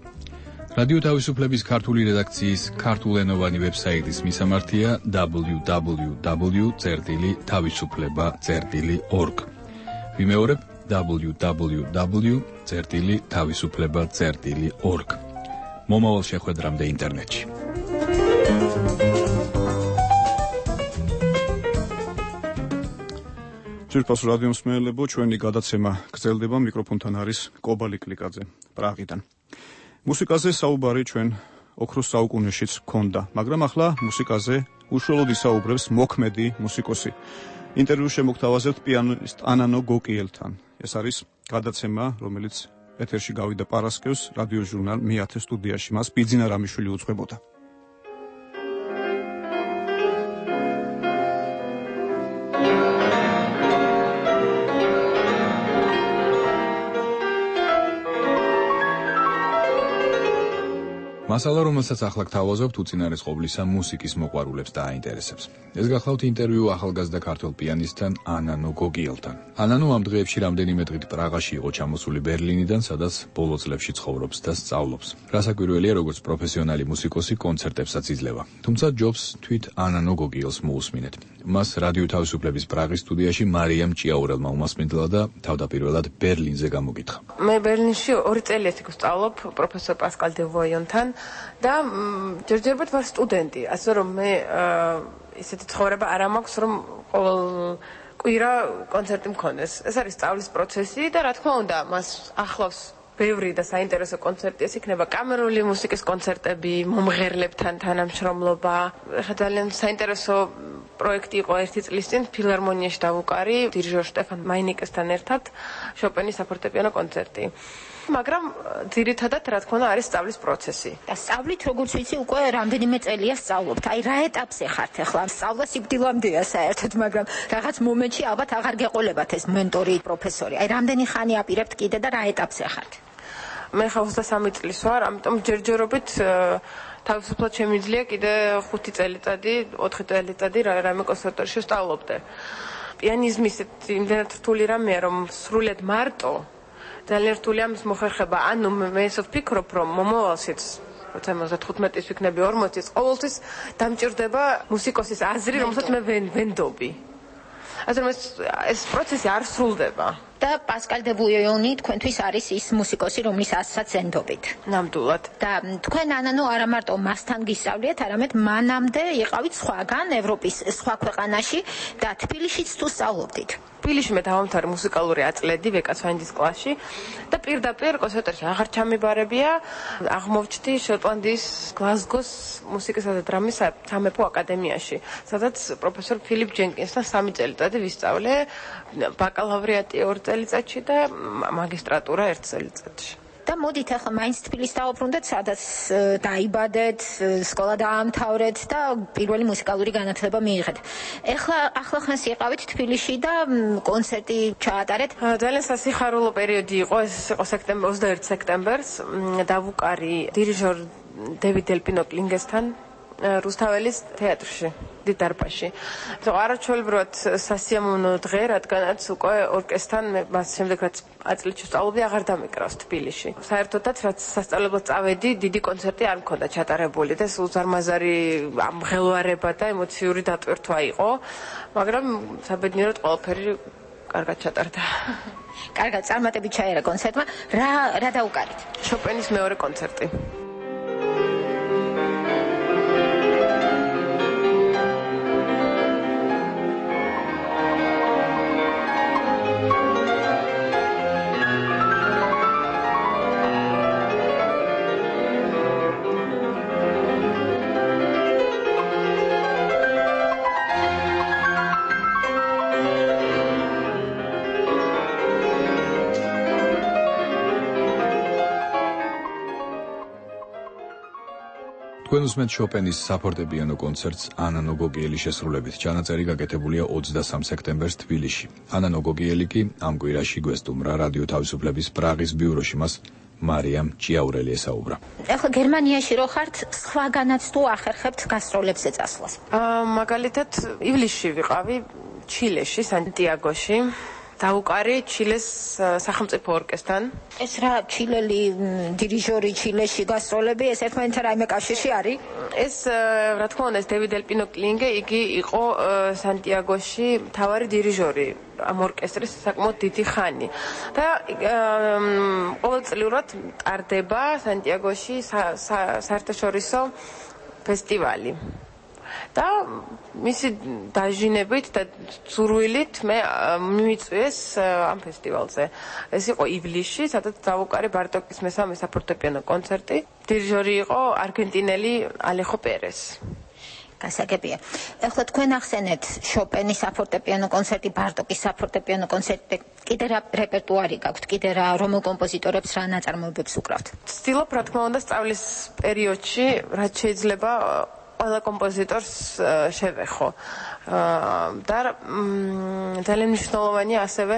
რადიო თავისუფლების ქართული რედაქციის ქართულენოვანი ვებსაიტის მისამართია www.tavisufleba.org. ვიმეორებ, www.tavisufleba.org. მომავალ შეხვედრამდე ინტერნეტში. ჯერფას რადიო მსმენელებო, ჩვენი გადაცემა გრძელდება, მიკროფონთან არის კობალი კლიკაძე პრაღიდან. მუსიკაზე საუბარი ჩვენ ოქროს საუკუნეშიც ჰქონდა, მაგრამ ახლა მუსიკაზე უშუალოდ ისაუბრებს მოქმედი მუსიკოსი. ინტერვიუ შემოგთავაზებთ პიანისტ ანანო გოკიელთან. ეს არის გადაცემა, რომელიც ეთერში გავიდა პარასკევს რადიო ჟურნალ მე-10 სტუდიაში. მას ბიძინა რამიშვილი უძღვებოდა. მასალა, რომელსაც ახლა გთავაზობთ, უწინარეს ყოვლისა მუსიკის მოყვარულებს დააინტერესებს. ეს გახლავთ ინტერვიუ ახალგაზრდა ქართველ პიანისტთან ანანო გოგიელთან. ანანო ამ დღეებში რამდენიმე დღით პრაღაში იყო ჩამოსული ბერლინიდან, სადაც ბოლო წლებში ცხოვრობს და სწავლობს. რასაკვირველია, როგორც პროფესიონალი მუსიკოსი კონცერტებსაც იძლევა. თუმცა ჯობს თვით ანანო გოგიელს მოусმინეთ. მას რადიო თავისუფლების პრაღის სტუდიაში მარიამ ჭიაურელმა უმასპინძლა და თავდაპირველად ბერლინზე გამოგითხა. მე ბერლინში 2 წელიწად ვსწავლობ პროფესორ პასკალ დე ვოიონთან და ჯერჯერობით ვარ სტუდენტი, ასე რომ მე ისეთი ცხოვრება არ მაქვს, რომ ყოველ კვირა კონცერტი მქონდეს. ეს არის სწავლის პროცესი და რა თქმა უნდა, მას ახლავს ბევრი და საინტერესო კონცერტი, ეს იქნება კამერული მუსიკის კონცერტები, მომღერლებთან თანამშრომლობა. ახლა ძალიან საინტერესო პროექტი იყო 1 წლის წინ ფილარმონიაში დავუკარი დირიჟორ შტეფან მაინიკესთან ერთად შოპენის საფორტეპიანო კონცერტი. მაგრამ ძირითადად რა თქმა უნდა არის სწავლის პროცესი. და სწავლით როგორც ვიცი უკვე რამდენიმე წელია სწავლობთ. აი რა ეტაპზე ხართ ახლა? სწავლა სიკვდილამდეა საერთოდ, მაგრამ რაღაც მომენტში ალბათ აღარ გეყოლებათ ეს მენტორი, პროფესორი. აი რამდენი ხანი აპირებთ კიდე და რა ეტაპზე ხართ? მე ხა 23 წლის ვარ, ამიტომ ჯერჯერობით თავისუფლად შემიძლია კიდე 5 წელიწადი, 4 წელიწადი რამე კონსერვატორიაში ვსწავლობდე. პიანიზმი იმდენად რთული რამეა, რომ სრულად მარტო ძალიან რთულია ამის მოხერხება. ანუ მე ისე ვფიქრობ, რომ მომავალშიც 75-ის ვიქნები 40-ის ყოველთვის დამჭირდება მუსიკოსის აზრი, რომელსაც მე ვენდობი. ასე რომ ეს პროცესი არ სრულდება. და პასკალ დე ვოიონი თქვენთვის არის ის მუსიკოსი, რომლის ასსაც ენდობით. ნამდვილად. და თქვენ ანანო არა მარტო მასთან გისწავლიეთ, არამედ მანამდე იყავით სხვაგან ევროპის სხვა ქვეყანაში და თბილისშიც თუ სწავლობდით. თბილისში მე დავამთავრე მუსიკალური აწლედი ვეკაცვაინდის კლასში და პირდაპირ კონსერვატორიაში აღარ ჩამიბარებია. აღმოვჩნდი შოტლანდიის გლაზგოს მუსიკისა და დრამის სამეფო აკადემიაში, სადაც პროფესორ ფილიპ ჯენკინსთან 3 წელიწადი ვისწავლე, ბაკალავრიატი 2 წელიწადში და მაგისტრატურა 1 წელიწადში. და მოდით ახლა მაინც თბილისს დავუბრუნდეთ, სადაც დაიბადეთ, სკოლა დაამთავრეთ და პირველი მუსიკალური განათლება მიიღეთ. ახლა ხანს იყავით თბილისში და კონცერტი ჩაატარეთ. ძალიან სასიხარულო პერიოდი იყო, ეს იყო 21 სექტემბერს, დავუკარი დირიჟორ დევიდ დელპინო კლინგესთან რუსთაველის თეატრში, დიდარბაზში. არაჩვეულებრივად სასიამოვნო დღე, რადგანაც უკვე ორკესტრთან მე მას შემდეგ რაც აწლეთში ვსწავლობდი, აღარ დამეკრავს თბილისში. საერთოდაც რაც სასწავლებლად წავედი, დიდი კონცერტი არ მქონდა ჩატარებული და სულ ზარმაზარი ამღელვარება და ემოციური დატვირთვა იყო, მაგრამ საბედნიეროდ ყველაფერი კარგად ჩატარდა. კარგად, წარმატებით ჩაერა კონცერტმა. რა დაუკარით? შოპენის მეორე კონცერტი. თქვენ უსმენთ შოპენის საფორტეპიანო კონცერტს ანანო გოგიელის შესრულებით. ჩანაწერი გაკეთებულია 23 სექტემბერს თბილისში. ანანო გოგიელი კი ამ კვირაში გვესტუმრა რადიო თავისუფლების პრაღის ბიუროში, მას მარიამ ჭიაურელი ესაუბრა. ახლა გერმანიაში რო ხართ, სხვაგანაც თუ ახერხებთ გასტროლებზე წასვლას? მაგალითად ივლისში ვიყავი ჩილეში, სანტიაგოში. დაუკარი ჩილეს სახელმწიფო ორკესტრთან. ეს რა ჩილელი დირიჟორი ჩილეში გასტროლები, ეს ერთმანეთთან რაიმე კავშირში არის? ეს რა თქმა უნდა, დევიდ ელპინო კლინგე, იგი იყო სანტიაგოში მთავარი დირიჟორი ამ ორკესტრის საკმაოდ დიდი ხანი. და ყოველწლიურად ტარდება სანტიაგოში საერთაშორისო ფესტივალი. და მისი დაჟინებით და ზურვილით მე მიმიწვიეს ამ ფესტივალზე. ეს იყო ივლისში, სადაც დაუკარი ბარტოკის მესამე საფორტეპიანო კონცერტი. დირიჟორი იყო არგენტინელი ალეხო პერეს. გასაგებია. ეხლა თქვენ ახსენეთ შოპენის საფორტეპიანო კონცერტი, ბარტოკის საფორტეპიანო კონცერტი, კიდე რა რეპერტუარი გაქვთ, კიდე რა რომელ კომპოზიტორებს რა ნაწარმოებებს უკრავთ? ვცდილობ რა თქმა უნდა სწავლის პერიოდში რაც შეიძლება ყველა კომპოზიტორს შევეხო. და ძალიან მნიშვნელოვანია ასევე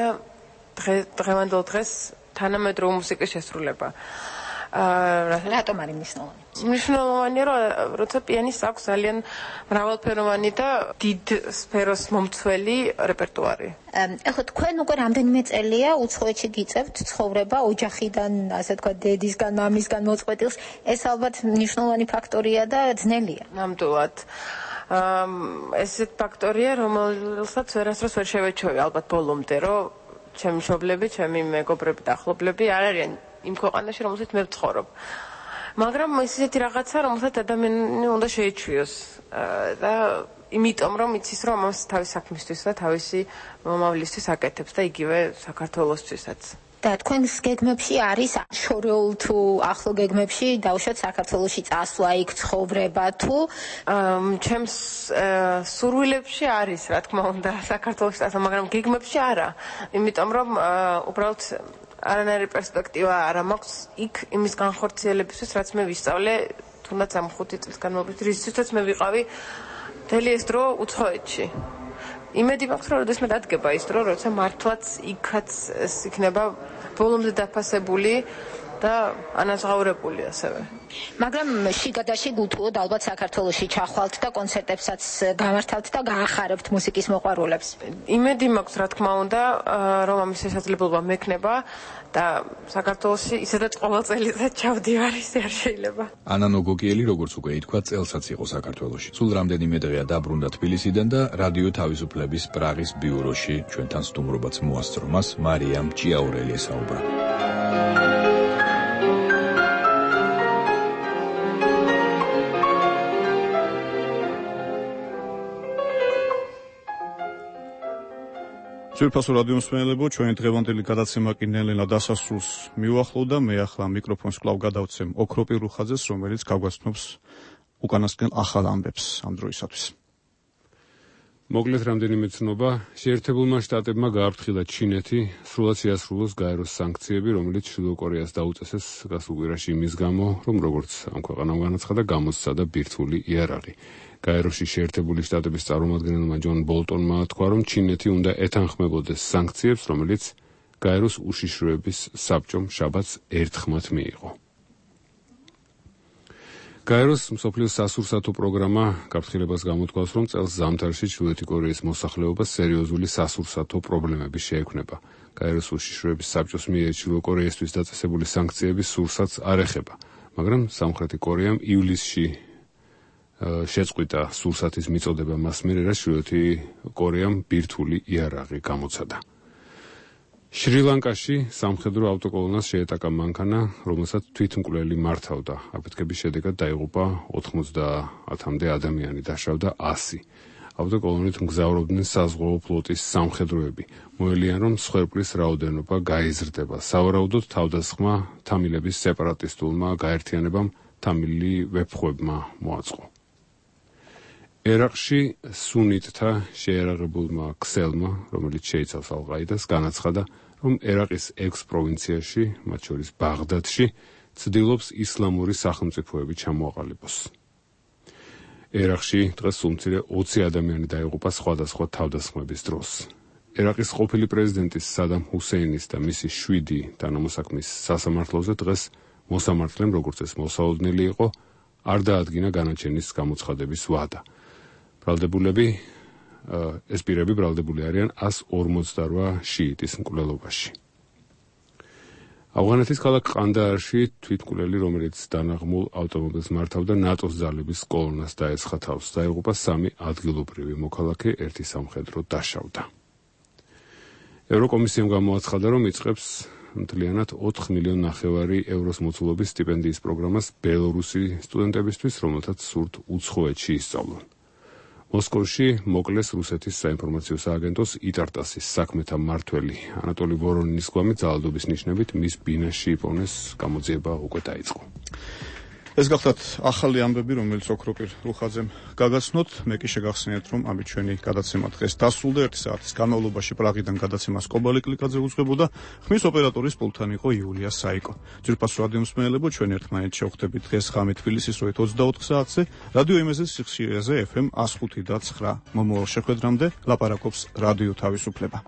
დღევანდელ დღეს თანამედროვე მუსიკის შესრულება. რატომ არის მნიშვნელოვანი? მნიშვნელოვანია, რომ როცა პიანისტს აქვს ძალიან მრავალფეროვანი და დიდ სფეროს მომცველი რეპერტუარი. ეხლა თქვენ უკვე რამდენიმე წელია უცხოეთში გიწევთ ცხოვრება ოჯახიდან, ასე თქვა, დედისგან, მამისგან მოწყვეტილს. ეს ალბათ მნიშვნელოვანი ფაქტორია და ძნელია. ნამდვილად. ეს ფაქტორია, რომელსაც ვერასდროს ვერ შევეჩვევი ალბათ ბოლომდე, რომ ჩემი მშობლები, ჩემი მეგობრები და ახლობლები არ არიან იმ ქვეყანაში, რომელსაც მე ვცხოვრობ. მაგრამ ესეთი რაღაცა, რომელსაც ადამიანი უნდა შეეჩვიოს და იმიტომ რომ იცის, რომ ამას თავის საქმისთვის და თავისი მომავლისთვის აკეთებს და იგივე საქართველოსთვისაც. და თქვენს გეგმებში არის შორეულ თუ ახლო გეგმებში დავუშვათ საქართველოში წასვლა, იქ ცხოვრება თუ ჩემს სურვილებში არის, რა თქმა უნდა, საქართველოში წასვლა, მაგრამ გეგმებში არა. იმიტომ რომ უბრალოდ არანაირი პერსპექტივა არ მაქვს იქ იმის განხორციელებისთვის, რაც მე ვისწავლე თუნდაც ამ 5 წლის განმავლობაში, რისთვისაც მე ვიყავი მთელი ეს დრო უცხოეთში. იმედი მაქვს, რომ როდესაც მე დადგება ის დრო, როცა მართლაც იქაც ეს იქნება ბოლომდე დაფასებული და ანაზღაურებული ასევე. მაგრამ შიგადაშიგ უთუოდ ალბათ საქართველოში ჩახვალთ და კონცერტებსაც გამართავთ და გაახარებთ მუსიკის მოყვარულებს. იმედი მაქვს, რა თქმა უნდა, რომ ამის შესაძლებლობა მექნება და საქართველოში ისედაც ყოველ წელიწად ჩავდივარ, ისე არ შეიძლება. ანა ნოგოკიელი, როგორც უკვე ითქვა, წელსაც იყო საქართველოში. სულ რამდენიმე დღეა დაბრუნდა თბილისიდან და რადიო თავისუფლების პრაღის ბიუროში ჩვენთან სტუმრობაც მოასწრო. მას მარიამ ჭიაურელი ესაუბრა. ძვირფასო რადიო მსმენელებო, ჩვენი დღევანდელი გადაცემა კი ნელ-ნელა დასასრულს მიუახლოვდა. მე ახლა მიკროფონს კვლავ გადავცემ ოქროპირ რუხაძეს, რომელიც გაგვაცნობს უკანასკნელ ახალ ამბებს ამ დროისათვის. მოკლედ რამდენიმე ცნობა, შეერთებულმა შტატებმა გააფრთხილა ჩინეთი სრულად შეასრულოს გაეროს სანქციები, რომელიც ჩრდილო კორეას დაუწესეს გასულ კვირაში იმის გამო, რომ როგორც ამ ქვეყანამ განაცხადა, გამოსცადა ბირთვული იარაღი. გაეროში შეერთებული შტატების წარმომადგენელმა ჯონ ბოლტონმა თქვა, რომ ჩინეთი უნდა ეთანხმებოდეს სანქციებს, რომელიც გაეროს უშიშროების საბჭომ შაბათს ერთხმად მიიღო. გაეროს მსოფლიოს სასურსათო პროგრამა გაფრთხილებას გამოთქვას, რომ წელს ზამთარში ჩრდილოეთი კორეის მოსახლეობას სერიოზული სასურსათო პრობლემები შეექმნება. გაეროს უშიშროების საბჭოს მიერ ჩრდილო კორეისთვის დაწესებული სანქციების სურსათს არ ეხება, მაგრამ სამხრეთი კორეამ ივლისში შეწყვიტა სურსათის მიწოდება მას მიერ, რაც ჩრდილოეთი კორეამ ბირთვული იარაღი გამოცადა. შრი-ლანკაში სამხედრო ავტოკოლონას შეეტაკა მანქანა, რომელსაც თვითმკვლელი მართავდა. აფეთქების შედეგად დაიღუპა 90-მდე ადამიანი, დაშავდა 100. ავტოკოლონით მგზავრობდნენ საზღვაო ფლოტის სამხედროები. მოელიან, რომ მსხვერპლის რაოდენობა გაიზრდება. სავარაუდოდ თავდასხმა თამილების სეპარატისტულმა გაერთიანებამ თამილი ვეფხვებმა მოაწყო. ერაყში სუნიტთა შეიარაღებულმა ქსელმა, რომელიც შეიცავს ალ-ყაიდას, განაცხადა, რომ ერაყის 6 პროვინციაში, მათ შორის ბაღდადში, ცდილობს ისლამური სახელმწიფოები ჩამოაყალიბოს. ერაყში დღეს სულ მცირე 20 ადამიანი დაიღუპა სხვადასხვა თავდასხმების დროს. ერაყის ყოფილი პრეზიდენტის სადამ ჰუსეინის და მისი 7 თანამოსაქმის სასამართლოზე დღეს მოსამართლემ, როგორც ეს მოსაოდნელი იყო, არ დაადგინა განაჩენის გამოცხადების ვადა. ბრალდებულები ეს პირები ბრალდებული არიან 148 შიიტის მკვლელობაში. ავღანეთის ქალაქ ყანდაარში თვითმკვლელი, რომელიც დანაღმულ ავტომობილს მართავდა ნატოს ძალების კოლონას დაეცხა თავს. დაიღუპა 3 ადგილობრივი მოქალაქე, 1 სამხედრო დაშავდა. ევროკომისიამ გამოაცხადა, რომ იწყებს მთლიანად 4,5 მილიონი ევროს მოცულობის სტიპენდიის პროგრამას ბელორუსი სტუდენტებისთვის, რომელთაც სურთ უცხოეთში ისწავლონ. მოსკოვში მოკლეს რუსეთის საინფორმაციო სააგენტოს იტარტასის საქმეთა მმართველი ანატოლი ვორონინის გვამით ძალადობის ნიშნებით მის ბინაში იპოვნეს გამოძიება უკვე დაიწყო. ეს გახლავთ ახალი ამბები, რომელიც ოქროპირ რუხაძემ გაგაცნოთ. მე კი შეგახსენებთ, რომ ამით ჩვენი გადაცემა დღეს დასრულდა. 1 საათის განმავლობაში პრაღიდან გადაცემას კობალი კლიკაძე უძღვებოდა. ხმის ოპერატორის პულტთან იყო იულია საიკო. ძვირფას რადიო მსმენელებო, ჩვენ ერთმანეთს შევხვდებით დღეს ღამე თბილისის დროით 24 საათზე, რადიო იმეზე სიხშირეზე FM 105.9. მომავალ შეხვედრამდე ლაპარაკობს რადიო თავისუფლება.